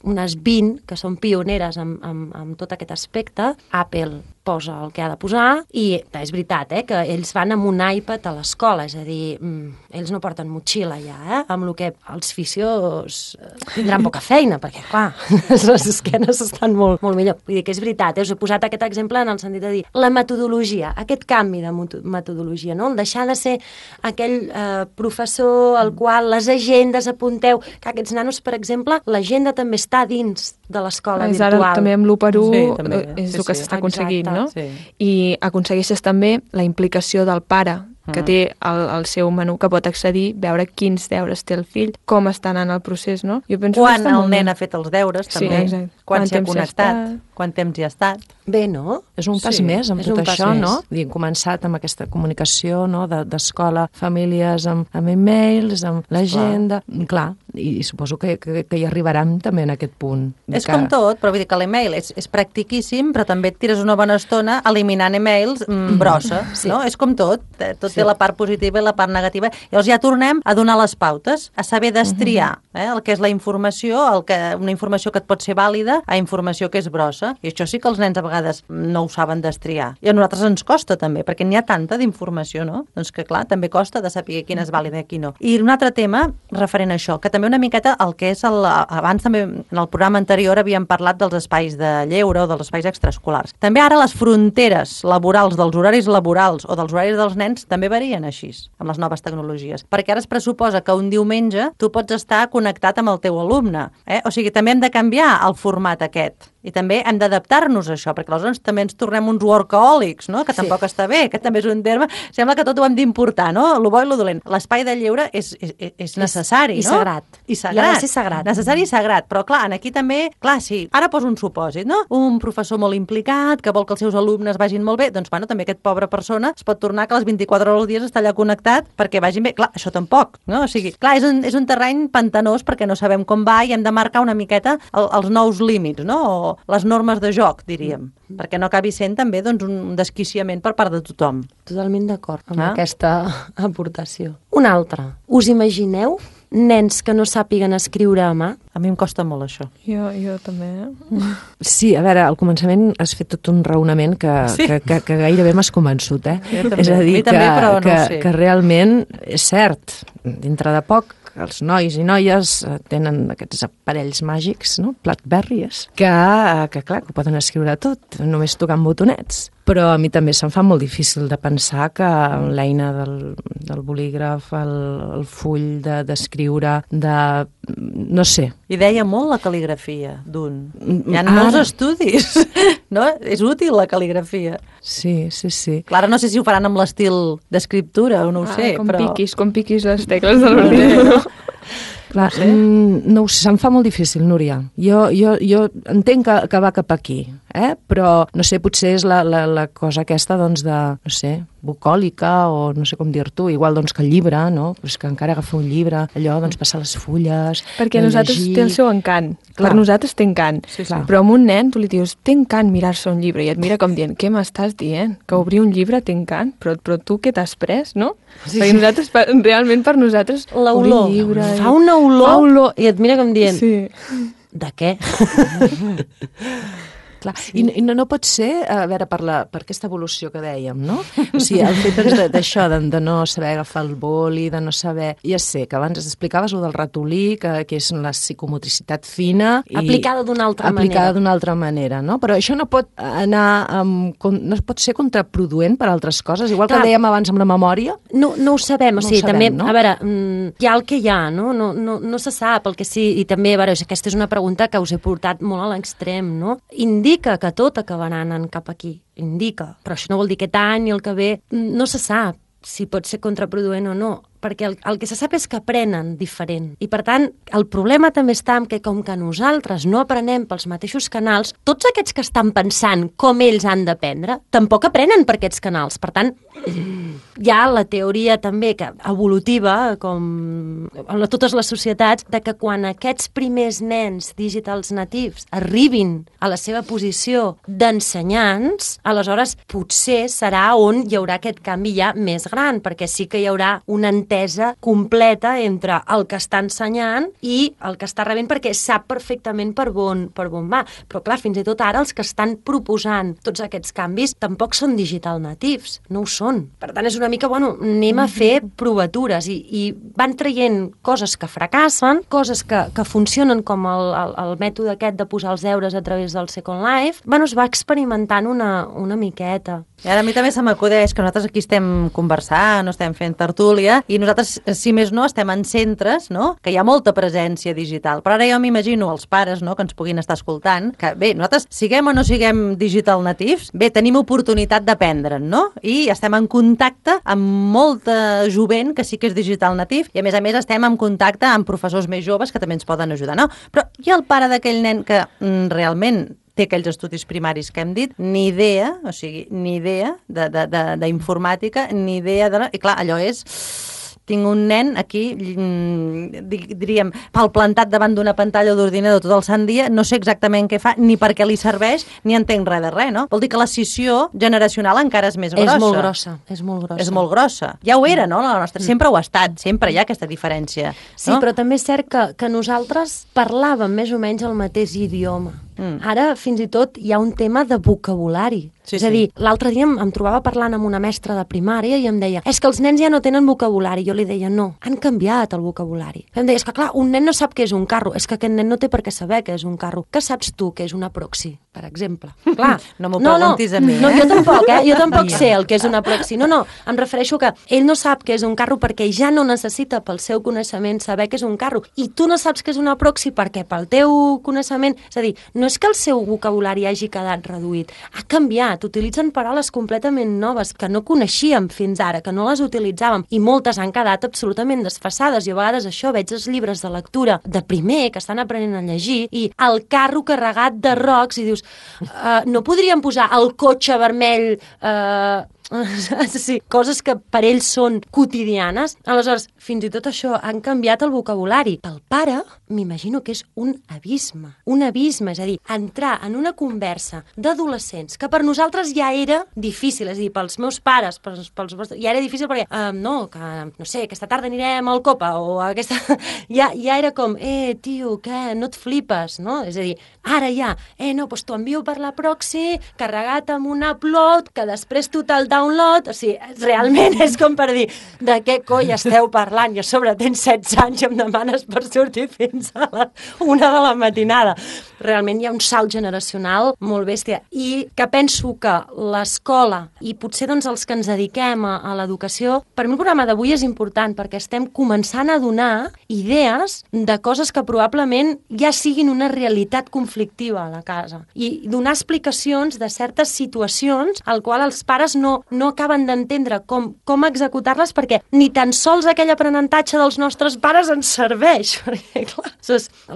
unes vint que són pioneres amb, amb, amb tot aquest aspecte. Apple posa el que ha de posar i és veritat, eh, que ells van amb un iPad a l'escola, és a dir, mm, ells no porten motxilla ja, eh, amb el que els fisios tindran poca feina, perquè, clar, les esquenes estan molt, molt millor. Vull dir que és veritat, eh, us he posat aquest exemple en el sentit de dir la metodologia, aquest canvi de metodologia, no? El deixar de ser aquell eh, professor al qual les agendes apunteu, que aquests nanos, per exemple, l'agenda també està dins de l'escola és virtual. Ara també amb l'u per u Sí, també. és Sí, el que sí. s'està aconseguint, Exacte. no? Sí. I aconsegueixes també la implicació del pare, que té el, el seu menú, que pot accedir, veure quins deures té el fill, com està anant el procés, no? Jo penso Quan que està el molt bé. nen ha fet els deures, Sí, també. exacte. Quan Quant s'hi ha temps hi ha connectat, estat. quant temps hi ha estat. Bé, no? És un pas Sí, més amb és tot un pas això, més. no? Hem començat amb aquesta comunicació, no?, de- d'escola, famílies, amb, amb e-mails, amb l'agenda... Clar, i, i suposo que, que, que hi arribarem també en aquest punt. de És que- com tot, però vull dir que l'email és, és practiquíssim, però també et tires una bona estona eliminant emails mm, brossa, Sí. no? És com tot, eh, tot Sí. té la part positiva i la part negativa. Llavors ja tornem a donar les pautes, a saber destriar eh, el que és la informació, el que, una informació que et pot ser vàlida, a informació que és brossa. I això sí que els nens a vegades no ho saben destriar. I a nosaltres ens costa també, perquè n'hi ha tanta d'informació, no? Doncs que clar, també costa de saber quina és vàlida i quina no. I un altre tema referent a això, que també una miqueta el que és el, abans també en el programa anterior havíem parlat dels espais de lleure o dels espais extraescolars. També ara les fronteres laborals dels horaris laborals o dels horaris dels nens també varien així, amb les noves tecnologies. Perquè ara es pressuposa que un diumenge tu pots estar connectat amb el teu alumne. Eh? O sigui, també hem de canviar el format aquest. I també hem d'adaptar-nos a això, perquè aleshores també ens tornem uns workaholics, no? Que tampoc està bé, que també és un terme... Sembla que tot ho hem d'importar, no? Lo bo i lo dolent. L'espai de lleure és, és, és necessari, I no? sagrat. I I sagrat. ha de ser sagrat. Necessari i sagrat. Però clar, aquí també... Clar, sí, ara poso un supòsit, no? Un professor molt implicat, que vol que els seus alumnes vagin molt bé, doncs, bueno, també aquest pobre persona es pot tornar que les vint-i-quatre hores al dia està allà connectat perquè vagin bé. Clar, això tampoc, no? O sigui, clar, és un, és un terreny pantanós perquè no sabem com va i hem de marcar una miqueta el, els nous límits, no? O les normes de joc, diríem, mm. perquè no acabi sent també doncs, un desquiciament per part de tothom. Totalment d'acord amb Ah. aquesta aportació. Una altra. Us imagineu nens que no sàpiguen escriure a mà? A mi em costa molt això. Jo, jo també, eh? Sí, a veure, al començament has fet tot un raonament que, Sí. que, que, que gairebé m'has convençut, eh? Jo també. És a A dir, mi també, que, però no que, ho sé. que realment és cert, dintre de poc, els nois i noies eh, tenen aquests aparells màgics, no? Blackberries, que, eh, que clar, que ho poden escriure tot, només tocant botonets. Però a mi també se'm fa molt difícil de pensar que l'eina del, del bolígraf, el, el full de- d'escriure, de, no sé. I deia molt la cal·ligrafia d'un. Hi ha Ara. molts estudis, no? És útil la cal·ligrafia. Sí, sí, sí. Clar, ara no sé si ho faran amb l'estil d'escriptura o no ho Ah, sé, com però... piquis, com piquis les tecles de l'ordinador. Clar, no, mm, no ho sé, se'm fa molt difícil, Núria. Jo, jo, jo entenc que, que va cap aquí, eh? Però, no sé, potser és la, la, la cosa aquesta, doncs, de, no sé, bucòlica o no sé com dir-t'ho, igual doncs que el llibre, no? Però és que encara agafar un llibre, allò, doncs passar les fulles... Perquè a nosaltres llegir. té el seu encant. Clar. Per nosaltres té encant. Sí, sí. Però amb un nen tu li dius, té encant mirar-se un llibre, i et mira com dient, què m'estàs dient? Que obrir un llibre té encant? Però, però tu què t'has pres, no? Sí, Perquè sí. nosaltres, per- realment per nosaltres, L'olor. obrir llibre... i- Fa una olor, Fa olor. i et mira com dient, Sí. de què? Clar. I, I no, no pot ser, a veure, per, la, per aquesta evolució que dèiem, no? O sigui, el fet doncs, de- d'això, de, de no saber agafar el boli, de no saber... Ja sé, que abans explicaves el del ratolí, que, que és la psicomotricitat fina... I Aplicada d'una altra manera. Aplicada d'una altra manera, no? Però això no pot anar amb, con- no pot ser contraproduent per altres coses, igual Clar. que dèiem abans amb la memòria. No, no ho sabem, o No ho sigui, sabem, també, no? a veure, mm, hi ha el que hi ha, no? No, no, no se sap el que sí, i també, a veure, aquesta és una pregunta que us he portat molt a l'extrem, no? Indica que tot acabarà anant cap aquí, indica, però això no vol dir aquest any i el que ve, mm, no se sap si pot ser contraproduent o no, perquè el, el que se sap és que aprenen diferent. I, per tant, el problema també està en que, com que nosaltres no aprenem pels mateixos canals, tots aquests que estan pensant com ells han d'aprendre, tampoc aprenen per aquests canals. Per tant, hi ha la teoria també que evolutiva, com en totes les societats, de que quan aquests primers nens digitals natius arribin a la seva posició d'ensenyants, aleshores potser serà on hi haurà aquest canvi ja més gran, perquè sí que hi haurà un entorn entesa completa entre el que està ensenyant i el que està rebent, perquè sap perfectament per on, per on va. Però clar, fins i tot ara els que estan proposant tots aquests canvis tampoc són digital natives, no ho són. Per tant, és una mica, bueno, anem a fer provatures i, i van traient coses que fracassen, coses que, que funcionen com el, el, el mètode aquest de posar els deures a través del Second Life. Bueno, es va experimentant una, una miqueta. I ara a mi també se m'acudeix que nosaltres aquí estem conversant, no estem fent tertúlia, i nosaltres, si més no, estem en centres, no?, que hi ha molta presència digital. Però ara jo m'imagino els pares, no?, que ens puguin estar escoltant, que bé, nosaltres siguem o no siguem digital natives, bé, tenim oportunitat d'aprendre'n, no? I estem en contacte amb molta jovent que sí que és digital nativ, i a més a més estem en contacte amb professors més joves que també ens poden ajudar, no? Però hi ha el pare d'aquell nen que mm, realment té aquells estudis primaris que hem dit, ni idea, o sigui, ni idea d'informàtica, ni idea de... I clar, allò és... Tinc un nen aquí, diríem, palplantat davant d'una pantalla d'ordinador tot el sant dia, no sé exactament què fa, ni per què li serveix, ni entenc res de res, no? Vol dir que la scissió generacional encara és més grossa. És molt grossa, és molt grossa. És molt grossa. Ja ho era, no? La nostra... Sempre ho ha estat, sempre hi ha aquesta diferència. Sí, no? Però també és cert que, que nosaltres parlàvem més o menys el mateix idioma. Mm. Ara, fins i tot, hi ha un tema de vocabulari. Sí, és a dir, sí. L'altre dia em, em trobava parlant amb una mestra de primària i em deia, és que els nens ja no tenen vocabulari. Jo li deia, no, han canviat el vocabulari. Em deia, és que clar, un nen no sap què és un carro, és que aquest nen no té per què saber què és un carro. Què saps tu què és una proxy, per exemple? Clar, no m'ho preguntis no, a mi, eh? No, jo tampoc, eh? Jo tampoc sé el que és una proxy. No, no, em refereixo que ell no sap què és un carro perquè ja no necessita pel seu coneixement saber què és un carro. I tu no saps què és una proxy perquè pel teu coneixement... És a dir, no és que el seu vocabulari hagi quedat reduït, ha canviat, utilitzen paraules completament noves que no coneixíem fins ara, que no les utilitzàvem, i moltes han quedat absolutament desfasades. I a vegades això, veig els llibres de lectura de primer, que estan aprenent a llegir, i el carro carregat de rocs, i dius, uh, no podríem posar el cotxe vermell... Uh, sí, coses que per ells són quotidianes. Aleshores, fins i tot això han canviat el vocabulari. Pel pare, m'imagino que és un abisme. Un abisme, és a dir, entrar en una conversa d'adolescents que per nosaltres ja era difícil, és a dir, pels meus pares, pels, pels vostres, ja era difícil perquè, uh, no, que, no sé, aquesta tarda anirem al Copa, o aquesta... ja, ja era com, eh, tio, què, no et flipes, no? És a dir, ara ja, eh, no, doncs t'ho envio per la proxy, carregat amb un upload, que després tu te'l download, o sigui, realment és com per dir, de què coi esteu parlant? I a sobre tens setze anys i em demanes per sortir fins a la una de la matinada. Realment hi ha un salt generacional molt bèstia. I que penso que l'escola, i potser doncs els que ens dediquem a, a l'educació, per mi el programa d'avui és important perquè estem començant a donar idees de coses que probablement ja siguin una realitat conflictiva a la casa. I donar explicacions de certes situacions al qual els pares no, no acaben d'entendre com, com executar-les perquè ni tan sols aquell aprenentatge dels nostres pares ens serveix. Perquè, clar,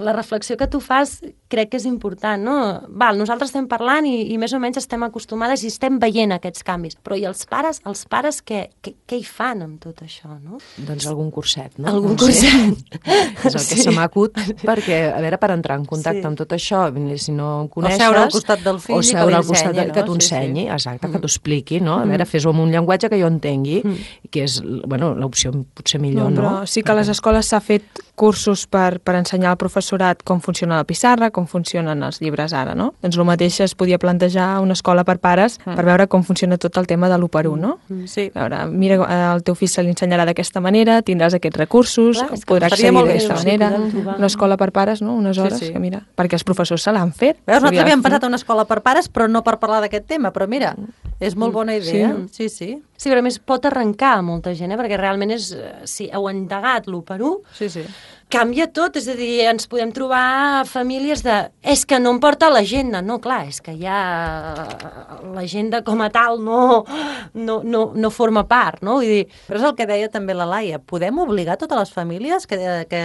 la reflexió que tu fas crec que és important, no? Val, nosaltres estem parlant i, i més o menys estem acostumades i estem veient aquests canvis. Però i els pares, els pares què, què, què hi fan amb tot això, no? Doncs algun curset, no? Algun curset. És el que sí. se m'acut, perquè, a veure, per entrar en contacte sí. amb tot això, si no coneixes... O seure al costat del fill o seure al costat de, no? que t'ho ensenyi, sí, sí. exacte, mm. que t'ho expliqui, no? A veure, fes-ho amb un llenguatge que jo entengui, mm. que és, bueno, l'opció potser millor, no? no? Però sí que a les escoles s'ha fet cursos per, per ensenyar al professorat com funciona la pissarra, com funcionen els llibres ara, no? Doncs el mateix es podia plantejar a una escola per pares mm. per veure com funciona tot el tema de l'u per u, no? Mm. Sí. A veure, mira, el teu fill se li ensenyarà d'aquesta manera, tindràs aquests recursos, clar, podrà accedir d'aquesta manera. Una escola per pares, no? Unes hores, sí, sí. que mira, perquè els professors se l'han fet. Veus, nosaltres havíem passat a una escola per pares, però no per parlar d'aquest tema, però mira, és molt bona idea. Sí, sí. sí. Sí, però a més pot arrencar a molta gent, eh? Perquè realment és, si heu endegat l'u per u, sí, sí. canvia tot, és a dir, ens podem trobar famílies de, és que no em porta l'agenda, no, clar, és que ja l'agenda com a tal no, no, no, no forma part, no? Vull dir... Però és el que deia també la Laia, podem obligar totes les famílies que, que,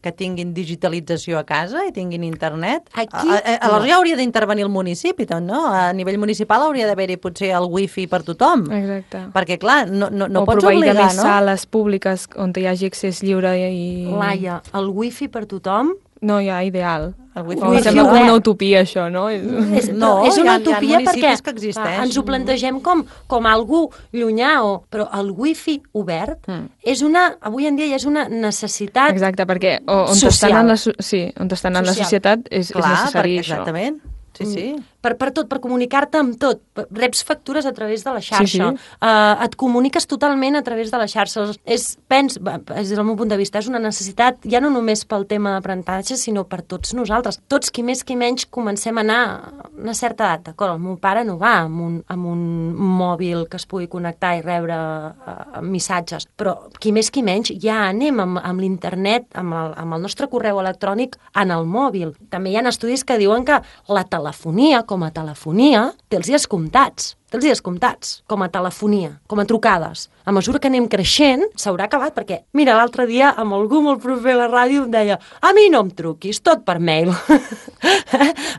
que tinguin digitalització a casa i tinguin internet? Aquí... A, a, aleshores ja hauria d'intervenir el municipi, doncs, no? A nivell municipal hauria d'haver-hi potser el wifi per tothom. Exacte. Perquè, clar, no, no, no o pots obligar, no? O proveir de més no? sales públiques on hi hagi accés lliure i... Laia, el wifi per tothom no hi ha ideal. El wifi wifi sembla com obert. una utopia, això, no? És, No, és una hi ha- hi ha utopia perquè municipis que existeix. ens ho plantegem com, com algú llunyà, o, però el wifi obert Mm. és una, avui en dia ja és una necessitat. Exacte, perquè o- on Social. estan en la, so- sí, on estan en la Social. societat és, és Clar, necessari perquè, això. exactament. Sí, sí. Per, per tot, per comunicar-te amb tot. Reps factures a través de la xarxa. Sí, sí. Uh, et comuniques totalment a través de la xarxa. És, pens, des del meu punt de vista, és una necessitat ja no només pel tema d'aprenentatge, sinó per tots nosaltres. Tots, qui més qui menys, comencem a anar a una certa edat. D'acord, el meu pare no va amb un, amb un mòbil que es pugui connectar i rebre uh, missatges, però qui més qui menys ja anem amb, amb l'internet, amb el, amb el nostre correu electrònic en el mòbil. També hi ha estudis que diuen que la telefonia, com a telefonia, té els dies comptats. Té els dies comptats, com a telefonia, com a trucades. A mesura que anem creixent, s'haurà acabat, perquè, mira, l'altre dia, amb algú molt proper a la ràdio, em deia, a mi no em truquis, tot per mail.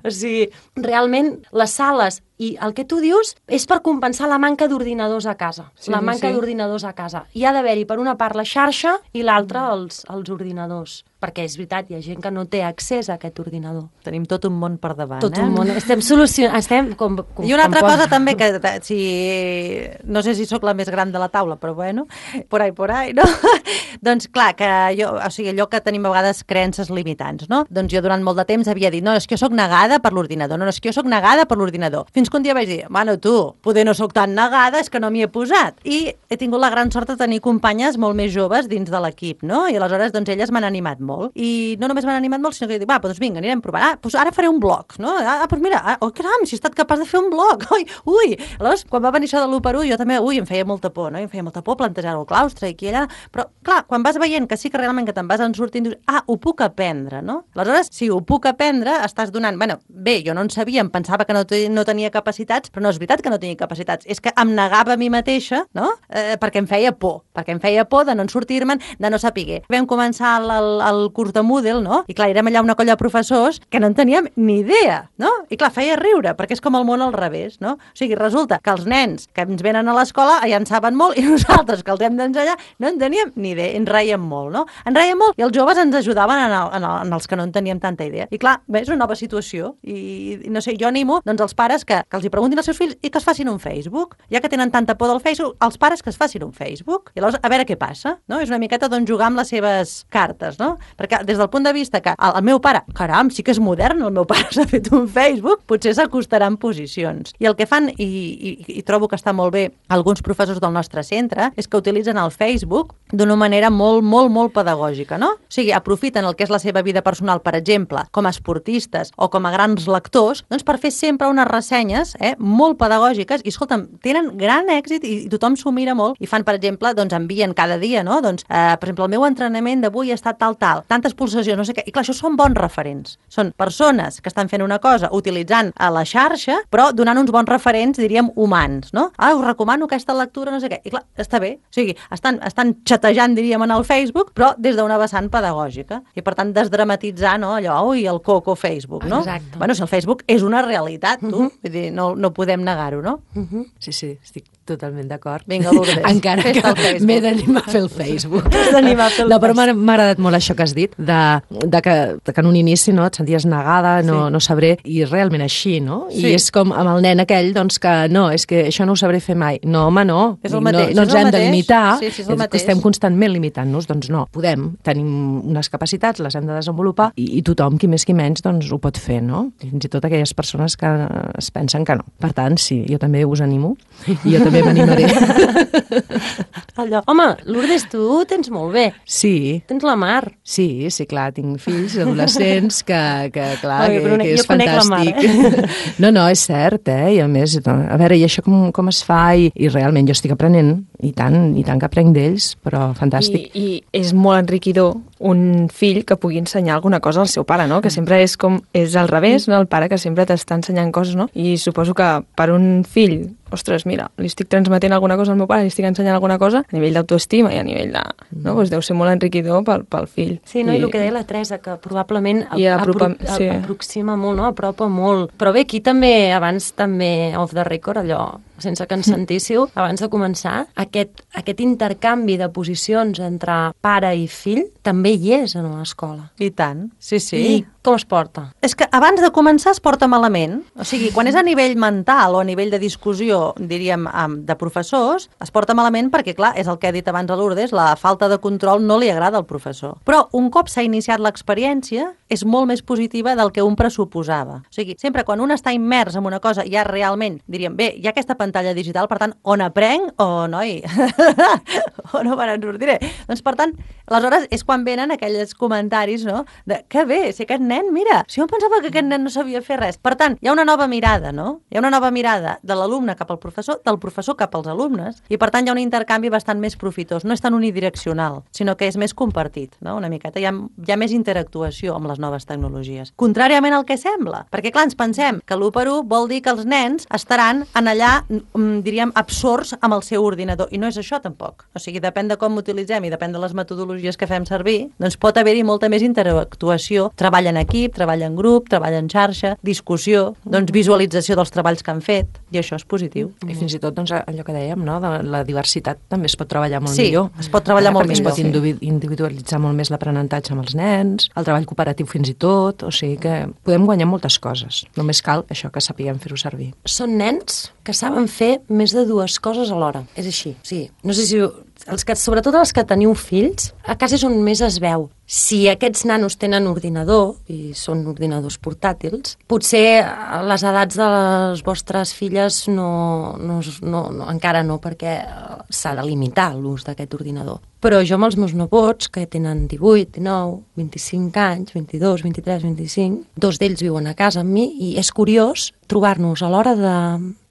O sigui, realment, les sales i el que tu dius és per compensar la manca d'ordinadors a casa. Sí, la sí, manca sí. d'ordinadors a casa. Hi ha d'haver-hi, per una part, la xarxa i l'altra, els, els ordinadors. Perquè és veritat, hi ha gent que no té accés a aquest ordinador. Tenim tot un món per davant, Tot eh? un món. Estem solucionant... Estem com, com, I una altra com cosa també, que eh, si, no sé si sóc la més gran de la taula, però bueno, por ahí, por ahí, no? Doncs clar, que jo, o sigui, allò que tenim a vegades creences limitants, no? Doncs jo durant molt de temps havia dit, no, és que jo sóc negada per l'ordinador, no, no, és que jo sóc negada per l'ordinador. Fins que un dia vaig dir, bueno, tu, poder no sóc tan negada, és que no m'hi he posat. I he tingut la gran sort de tenir companyes molt més joves dins de l'equip, no? I aleshores, doncs, elles m'han animat molt. I no només m'han animat molt, sinó que dic, va, doncs vinga, anirem a provar. Ah, doncs ara faré un blog, no? Ah, doncs mira, ah, oh, caram, si he estat capaç de fer un blog. Ui, ui. Aleshores, quan va venir això de l'u per u, jo també, ui, em feia molta por, no? Em feia molta por plantejar el claustre i aquí i allà. Però, clar, quan vas veient que sí que realment que te'n vas en sortint, dius, ah, ho puc aprendre, no? Aleshores, si ho puc aprendre, estàs donant... Bueno, bé, jo no en sabia, em pensava que no, no tenia capacitats, però no és veritat que no tenia capacitats. És que em negava a mi mateixa, no? Eh, perquè em feia por. Perquè em feia por de no sortir-me'n, de no saber. Vam començar el, el, el curs de Moodle, no? I clar, érem allà una colla de professors que no en teníem ni idea, no? I clar, feia riure, perquè és com el món al revés, no? O sigui, resulta que els nens que ens venen a l'escola ja en saben molt i nosaltres que els hem d'ensenyar no en teníem ni idea, ens reiem molt, no? Ens reiem molt i els joves ens ajudaven en, el, en, el, en els que no en teníem tanta idea. I clar, bé, és una nova situació i, i no sé, jo animo doncs els pares que, que els hi preguntin als seus fills i que es facin un Facebook. Ja que tenen tanta por del Facebook, els pares que es facin un Facebook. I llavors, a veure què passa, no? És una miqueta doncs jugar amb les seves cartes, no? Perquè des del punt de vista que el, el meu pare, caram, sí que és modern, el meu pare s'ha fet un Facebook, potser s'acostarà en posicions. I el que fan, i, i, i trobo que està molt bé alguns professors del nostre centre, és que utilitzen el Facebook d'una manera molt, molt, molt pedagògica, no? O sigui, aprofiten el que és la seva vida personal, per exemple, com a esportistes o com a grans lectors, doncs per fer sempre unes ressenyes eh, molt pedagògiques i, escolta'm, tenen gran èxit i, i tothom s'ho mira molt i fan, per exemple, doncs envien cada dia, no? Doncs, eh, per exemple, el meu entrenament d'avui ha estat tal, tal, tantes pulsacions, no sé què. I clar, això són bons referents. Són persones que estan fent una cosa utilitzant a la xarxa, però donant uns bons referents, diríem, humans, no? Ah, us recomano aquesta lectura, no sé què. I clar, està bé. O sigui, estan, estan xatejant, diríem, en el Facebook, però des d'una vessant pedagògica. I, per tant, desdramatitzar, no? Allò, ui, el coco Facebook, no? Exacte. Bueno, si el Facebook és una realitat, tu. Uh -huh. Vull dir, no, no podem negar-ho, no? Uh -huh. Sí, sí, estic totalment d'acord. Vinga, Lourdes, encara fes-te que el Facebook. m'he d'animar a fer el Facebook. T'has d'animar a fer el No, però m'ha Facebook. m'ha agradat molt això que has dit, de, de, que, de que en un inici no, et senties negada, no, Sí. no sabré, i realment així, no? Sí. I és com amb el nen aquell, doncs, que no, és que això no ho sabré fer mai. No, home, no. És el Dic, mateix, no, no és ens el hem de mateix. limitar, Sí, sí, és el és que mateix. estem constantment limitant-nos, doncs no, podem, tenim unes capacitats, les hem de desenvolupar, i, i tothom, qui més qui menys, doncs ho pot fer, no? Fins i tot aquelles persones que es pensen que no. Per tant, sí, jo també us animo, i jo també m'animaré. Allò. Home, Lourdes, tu tens molt bé. Sí, Tens la Mar. sí, sí, clar, tinc fills adolescents que, que clar, Oi, que, però que jo és conec la Mar, fantàstic. No, no, és cert, eh? I a més, a veure, i això com, com es fa? I, I realment jo estic aprenent, i tant, i tant que aprenc d'ells, però fantàstic. I, I és molt enriquidor un fill que pugui ensenyar alguna cosa al seu pare, no? Que sempre és com, és al revés, no? El pare que sempre t'està ensenyant coses, no? I suposo que per un fill ostres, mira, li estic transmetent alguna cosa al meu pare, li estic ensenyant alguna cosa a nivell d'autoestima i a nivell de... No? Pues deu ser molt enriquidor pel, pel fill. Sí, no? I, I el que deia la Teresa, que probablement I apropa, apro sí. aproxima molt, no? Apropa molt. Però bé, aquí també, abans també, off the record, allò, sense que ens sentíssiu, abans de començar, aquest, aquest intercanvi de posicions entre pare i fill també hi és en l'escola. I tant, sí, sí. I com es porta? És que abans de començar es porta malament. O sigui, quan és a nivell mental o a nivell de discussió, diríem, de professors, es porta malament perquè, clar, és el que ha dit abans a Lourdes, la falta de control no li agrada al professor. Però un cop s'ha iniciat l'experiència, és molt més positiva del que un pressuposava. O sigui, sempre quan un està immers en una cosa, ja realment, diríem, bé, hi ha aquesta pantalla digital, per tant, on aprenc o, noi, o no me n'en sortiré. Doncs, per tant, aleshores és quan venen aquells comentaris, no?, de, que bé, si aquest nen, mira, si jo pensava que aquest nen no sabia fer res. Per tant, hi ha una nova mirada, no? Hi ha una nova mirada de l'alumne cap al professor, del professor cap als alumnes, i per tant hi ha un intercanvi bastant més profitós. No és tan unidireccional, sinó que és més compartit, no?, una miqueta. Hi ha, hi ha més interactuació amb les noves tecnologies. Contràriament al que sembla, perquè clar, ens pensem que l'u per u vol dir que els nens estaran en allà, diríem, absorts amb el seu ordinador, i no és això tampoc. O sigui, depèn de com utilitzem i depèn de les metodologies que fem servir, doncs pot haver-hi molta més interactuació, treball en equip, treball en grup, treball en xarxa, discussió, doncs visualització dels treballs que han fet, i això és positiu. I fins i tot, doncs, allò que dèiem, no?, de la diversitat també es pot treballar molt sí, millor. Sí, es pot treballar eh, molt millor. Perquè millor. es pot individualitzar molt més l'aprenentatge amb els nens, el treball cooperatiu fins i tot, o sigui que podem guanyar moltes coses. Només cal això, que sapiguem fer-ho servir. Són nens que saben fer més de dues coses alhora. És així, sí. No sé si... Els que, sobretot els que teniu fills, a casa és on més es veu. Si aquests nanos tenen ordinador, i són ordinadors portàtils, potser a les edats de les vostres filles no, no, no, no encara no, perquè s'ha de limitar l'ús d'aquest ordinador. Però jo amb els meus nebots, que tenen divuit, dinou, vint-i-cinc anys, vint-i-dos, vint-i-tres, vint-i-cinc, dos d'ells viuen a casa amb mi, i és curiós trobar-nos a l'hora de...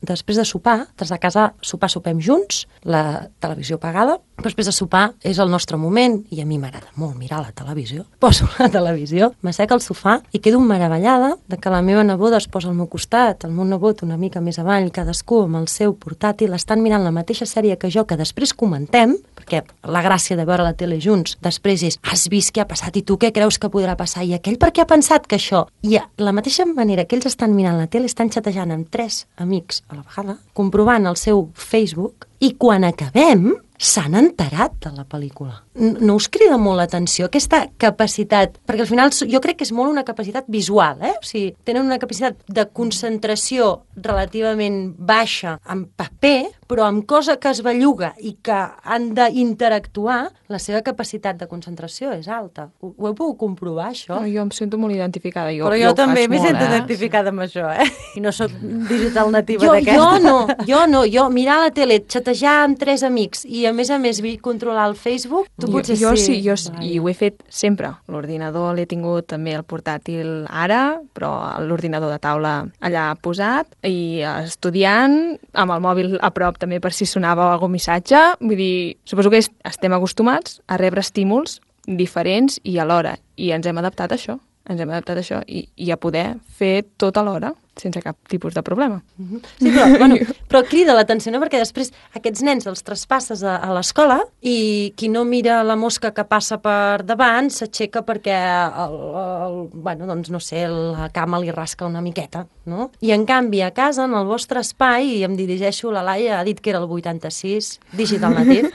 després de sopar, des de casa sopar sopem junts, la televisió apagada, però després de sopar és el nostre moment, i a mi m'agrada molt mirar la televisió. Poso la televisió, m'assec al sofà i quedo meravellada de que la meva neboda es posa al meu costat, el meu nebot una mica més avall, cadascú amb el seu portàtil, estan mirant la mateixa sèrie que jo, que després comentem, perquè la gràcia de veure la tele junts, després és, has vist què ha passat i tu què creus que podrà passar? I aquell per què ha pensat que això? I a la mateixa manera que ells estan mirant la tele, estan xatejant amb tres amics a la vegada, comprovant el seu Facebook, i quan acabem s'han enterat de la pel·lícula. No us crida molt l'atenció aquesta capacitat? Perquè al final jo crec que és molt una capacitat visual, eh? O sigui, tenen una capacitat de concentració relativament baixa en paper, però amb cosa que es belluga i que han d'interactuar, la seva capacitat de concentració és alta. Ho, ho heu pogut comprovar, això? No, jo em sento molt identificada. Jo, però jo, jo també m'he sento eh? identificada amb això, eh? I no sóc digital nativa jo, d'aquesta. Jo no, jo no. Jo mirar la tele, xatejar amb tres amics i a més a més controlar el Facebook, tu jo, potser jo sí. sí, jo sí, i ho he fet sempre. L'ordinador l'he tingut també el portàtil ara, però l'ordinador de taula allà posat, i estudiant, amb el mòbil a prop també per si sonava algun missatge. Vull dir, suposo que estem acostumats a rebre estímuls diferents i alhora, i ens hem adaptat a això. Ens hem adaptat a això i, i a poder fer tot alhora, sense cap tipus de problema. Sí, però, bueno, però crida l'atenció, no? Perquè després aquests nens els traspasses a, a l'escola i qui no mira la mosca que passa per davant s'aixeca perquè el, el, bueno, doncs no sé, la cama li rasca una miqueta, no? I en canvi a casa, en el vostre espai, i em dirigeixo, la Laia ha dit que era el vuitanta-sis, digital native,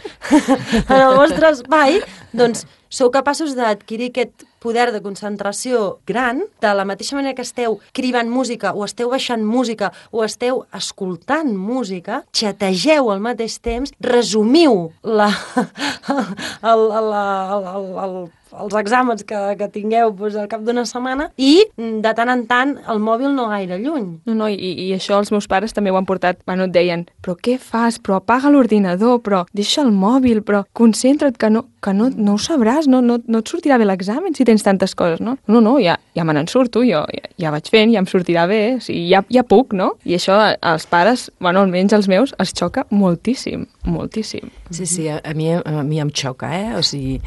en el vostre espai, doncs sou capaços d'adquirir aquest poder de concentració gran, de la mateixa manera que esteu cribant música o esteu baixant música o esteu escoltant música, xategeu al mateix temps, resumiu la, el, el, el, el, el, els exàmens que, que tingueu doncs, al cap d'una setmana i de tant en tant el mòbil no gaire lluny. No, no, i, i això els meus pares també ho han portat, bueno, et deien, però què fas? Però apaga l'ordinador, però deixa el mòbil, però concentra't que no, que no, no ho sabràs, no, no, no et sortirà bé l'examen si tens tantes coses, no? No, no, ja, ja me n'en surto, jo ja, ja vaig fent, ja em sortirà bé, o sigui, ja, ja puc, no? I això als pares, bueno, almenys els meus, els xoca moltíssim, moltíssim. Sí, sí, a, a, mi, a mi em xoca, eh? O sigui,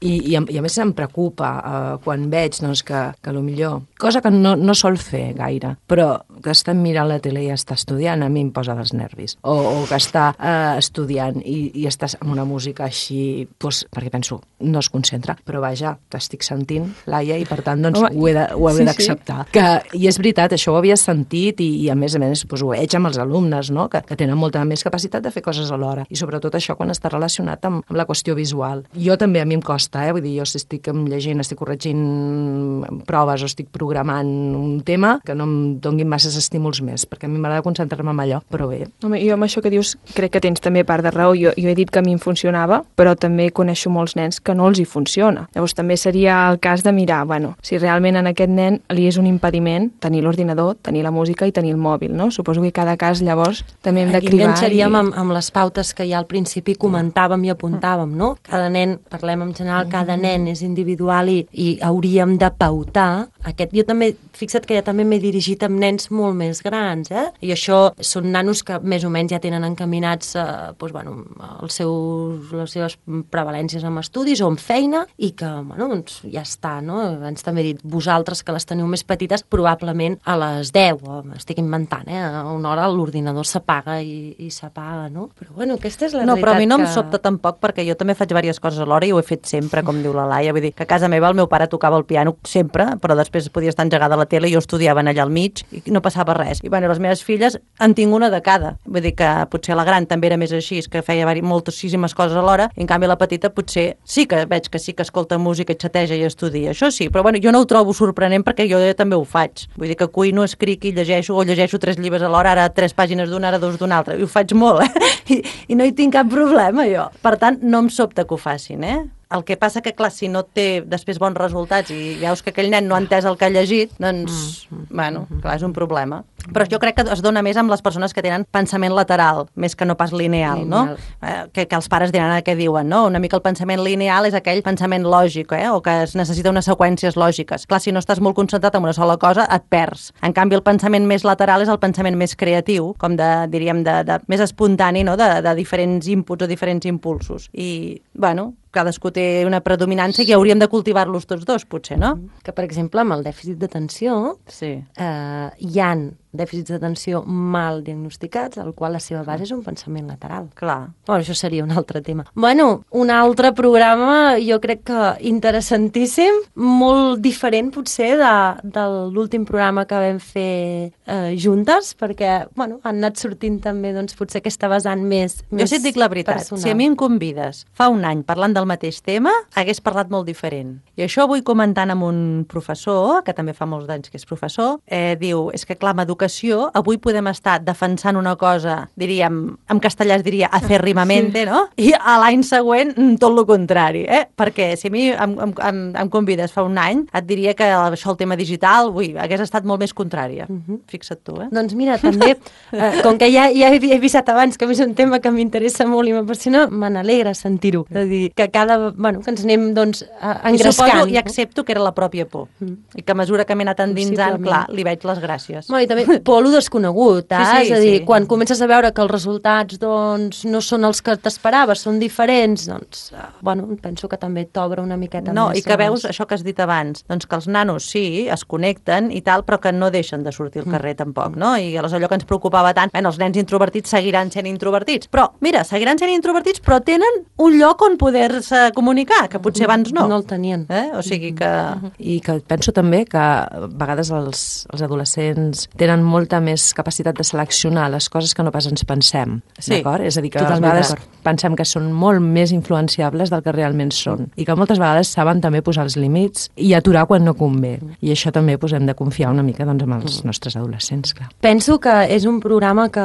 I, i, a, i a més em preocupa uh, quan veig doncs, que, que millor, cosa que no, no sol fer gaire, però que està mirant la tele i està estudiant, a mi em posa dels nervis. O, o que està uh, estudiant i, i estàs amb una música així, doncs, perquè penso, no es concentra, però vaja, t'estic sentint, Laia, i per tant doncs, Home, ho he de, ho he sí, d'acceptar. Sí. Que, I és veritat, això ho havia sentit i, i a més a més doncs, ho veig amb els alumnes, no? que, que tenen molta més capacitat de fer coses alhora. I sobretot això quan està relacionat amb, amb la qüestió visual. Jo també, a mi em costa, eh? Vull dir, jo si estic llegint, estic corregint proves o estic programant un tema, que no em donguin masses estímuls més, perquè a mi m'agrada concentrar-me en allò, però bé. Home, jo amb això que dius crec que tens també part de raó. Jo, jo he dit que a mi em funcionava, però també coneixo molts nens que no els hi funciona. Llavors també seria el cas de mirar, bueno, si realment en aquest nen li és un impediment tenir l'ordinador, tenir la música i tenir el mòbil, no? Suposo que cada cas llavors també hem de cribar. Aquí enganxaríem i... amb, amb les pautes que ja al principi comentàvem i apuntàvem, no? Cada nen, parlem en general, cada nen és individual i, i hauríem de pautar aquest. Jo també, fixa't que ja també m'he dirigit amb nens molt més grans, eh? I això són nanos que més o menys ja tenen encaminats eh, doncs, bueno, els seus, les seves prevalències amb estudis o amb feina i que, bueno, doncs ja està, no? Abans també he dit, vosaltres que les teniu més petites, probablement a les deu, o m'estic inventant, eh? A una hora l'ordinador s'apaga i, i s'apaga, no? Però bueno, aquesta és la no, realitat. No, però a mi no que... em sobta tampoc, perquè jo també faig diverses coses alhora i ho he fet sempre, com diu la Laia. Vull dir que a casa meva el meu pare tocava el piano sempre, però després podia estar engegada a la tele i jo estudiava allà al mig i no passava res. I bueno, les meves filles en tinc una de cada. Vull dir que potser la gran també era més així, que feia moltíssimes coses alhora, i en canvi la petita potser sí que veig que sí que escolta música i xateja i estudia, això sí, però bueno, jo no ho trobo sorprenent perquè jo també ho faig. Vull dir que cuino, escric i llegeixo, o llegeixo tres llibres alhora, ara tres pàgines d'una, ara dos d'una altra, i ho faig molt, eh? I, i no hi tinc cap problema, jo. Per tant, no em sobta que ho facin, eh? El que passa que, clar, si no té després bons resultats i veus que aquell nen no ha entès el que ha llegit, doncs, mm, mm, bueno, clar, és un problema. Però jo crec que es dona més amb les persones que tenen pensament lateral, més que no pas lineal, lineal. no? Eh, que, que els pares diran a què diuen, no? Una mica el pensament lineal és aquell pensament lògic, eh? O que es necessita unes seqüències lògiques. Clar, si no estàs molt concentrat en una sola cosa, et perds. En canvi, el pensament més lateral és el pensament més creatiu, com de, diríem, de, de, més espontani, no? De, de diferents inputs o diferents impulsos. I, bueno, cadascú té una predominància i hauríem de cultivar-los tots dos, potser, no? Que, per exemple, amb el dèficit d'atenció sí. eh, hi ha dèficits d'atenció mal diagnosticats, al qual la seva base és un pensament lateral. Clar. Bueno, això seria un altre tema. Bueno, un altre programa, jo crec que interessantíssim, molt diferent, potser, de, de l'últim programa que vam fer eh, juntes, perquè, bueno, han anat sortint també, doncs, potser aquesta vessant més, més jo sí et dic la veritat, personal. Si a mi em convides fa un any parlant del mateix tema, hagués parlat molt diferent. I això vull comentant amb un professor, que també fa molts anys que és professor, eh, diu, és que clar, amb educació, avui podem estar defensant una cosa, diríem, en castellà es diria acérrimamente, sí. no? I a l'any següent tot el contrari, eh? Perquè si a mi em, em, em convides fa un any, et diria que això el tema digital, ui, hagués estat molt més contrària. Uh -huh. Fixa't tu, eh? Doncs mira, també, eh, com que ja, ja he avisat abans que és un tema que m'interessa molt i m'apassiona, me n'alegra sentir-ho. És a dir, que cada, bueno, que ens anem, doncs, engrescant. I suposo i accepto que era la pròpia por. Mm. I que a mesura que m'he anat endinsant, clar, li veig les gràcies. Bueno, i també por lo desconegut, eh? Sí, sí, és a dir, sí. quan comences a veure que els resultats, doncs, no són els que t'esperaves, són diferents, doncs, bueno, penso que també t'obre una miqueta no, més. No, i que veus això que has dit abans, doncs que els nanos sí, es connecten i tal, però que no deixen de sortir al carrer mm. tampoc, no? I aleshores allò que ens preocupava tant, bueno, els nens introvertits seguiran sent introvertits, però, mira, seguiran sent introvertits, però tenen un lloc on poder-se comunicar, que potser abans no. No el tenien. Eh? O sigui que... I que penso també que a vegades els, els adolescents tenen molta més capacitat de seleccionar les coses que no pas ens pensem, sí, d'acord? És a dir, que a totalment vegades pensem que són molt més influenciables del que realment són i que moltes vegades saben també posar els límits i aturar quan no convé. I això també pues, hem de confiar una mica doncs, en els nostres adolescents, clar. Penso que és un programa que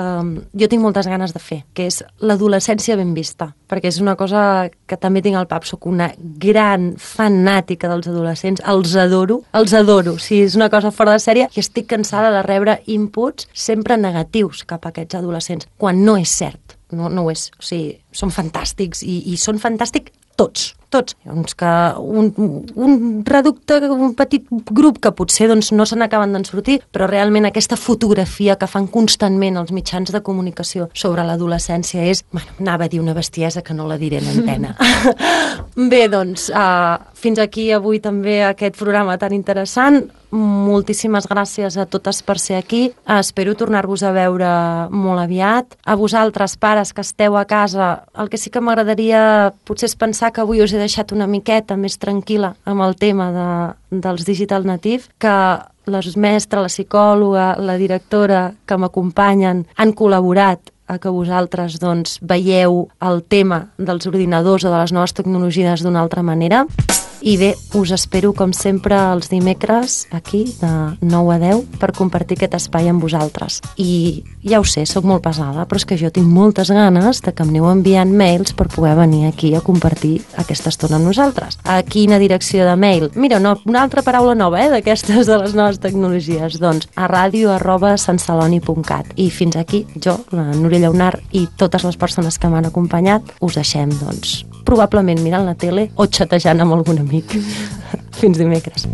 jo tinc moltes ganes de fer, que és l'adolescència ben vista, perquè és una cosa que també tinc al pap, soc una gran fanàtica dels adolescents, els adoro, els adoro, o sigui, és una cosa fora de sèrie i estic cansada de rebre inputs sempre negatius cap a aquests adolescents, quan no és cert, no, no ho és, o sigui, són fantàstics i, i són fantàstics tots. tots. Doncs que un, un reducte, un petit grup que potser doncs, no se n'acaben d'en sortir, però realment aquesta fotografia que fan constantment els mitjans de comunicació sobre l'adolescència és, bueno, anava a dir una bestiesa que no la diré en antena. Bé, doncs, uh, fins aquí avui també aquest programa tan interessant. Moltíssimes gràcies a totes per ser aquí. Espero tornar-vos a veure molt aviat. A vosaltres, pares, que esteu a casa, el que sí que m'agradaria potser és pensar que avui us he deixat una miqueta més tranquil·la amb el tema de, dels Digital Native, que la mestra, la psicòloga, la directora que m'acompanyen han col·laborat a que vosaltres doncs, veieu el tema dels ordinadors o de les noves tecnologies d'una altra manera. I bé, us espero com sempre els dimecres aquí de nou a deu per compartir aquest espai amb vosaltres. I ja ho sé, sóc molt pesada, però és que jo tinc moltes ganes de que em aneu enviant mails per poder venir aquí a compartir aquesta estona amb nosaltres. A quina direcció de mail? Mira, no, una altra paraula nova, eh, d'aquestes de les noves tecnologies. Doncs a ràdio arroba santceloni punt cat. I fins aquí, jo, la Núria Lleonart i totes les persones que m'han acompanyat, us deixem, doncs, probablement mirant la tele o xatejant amb algun amic. Fins dimecres.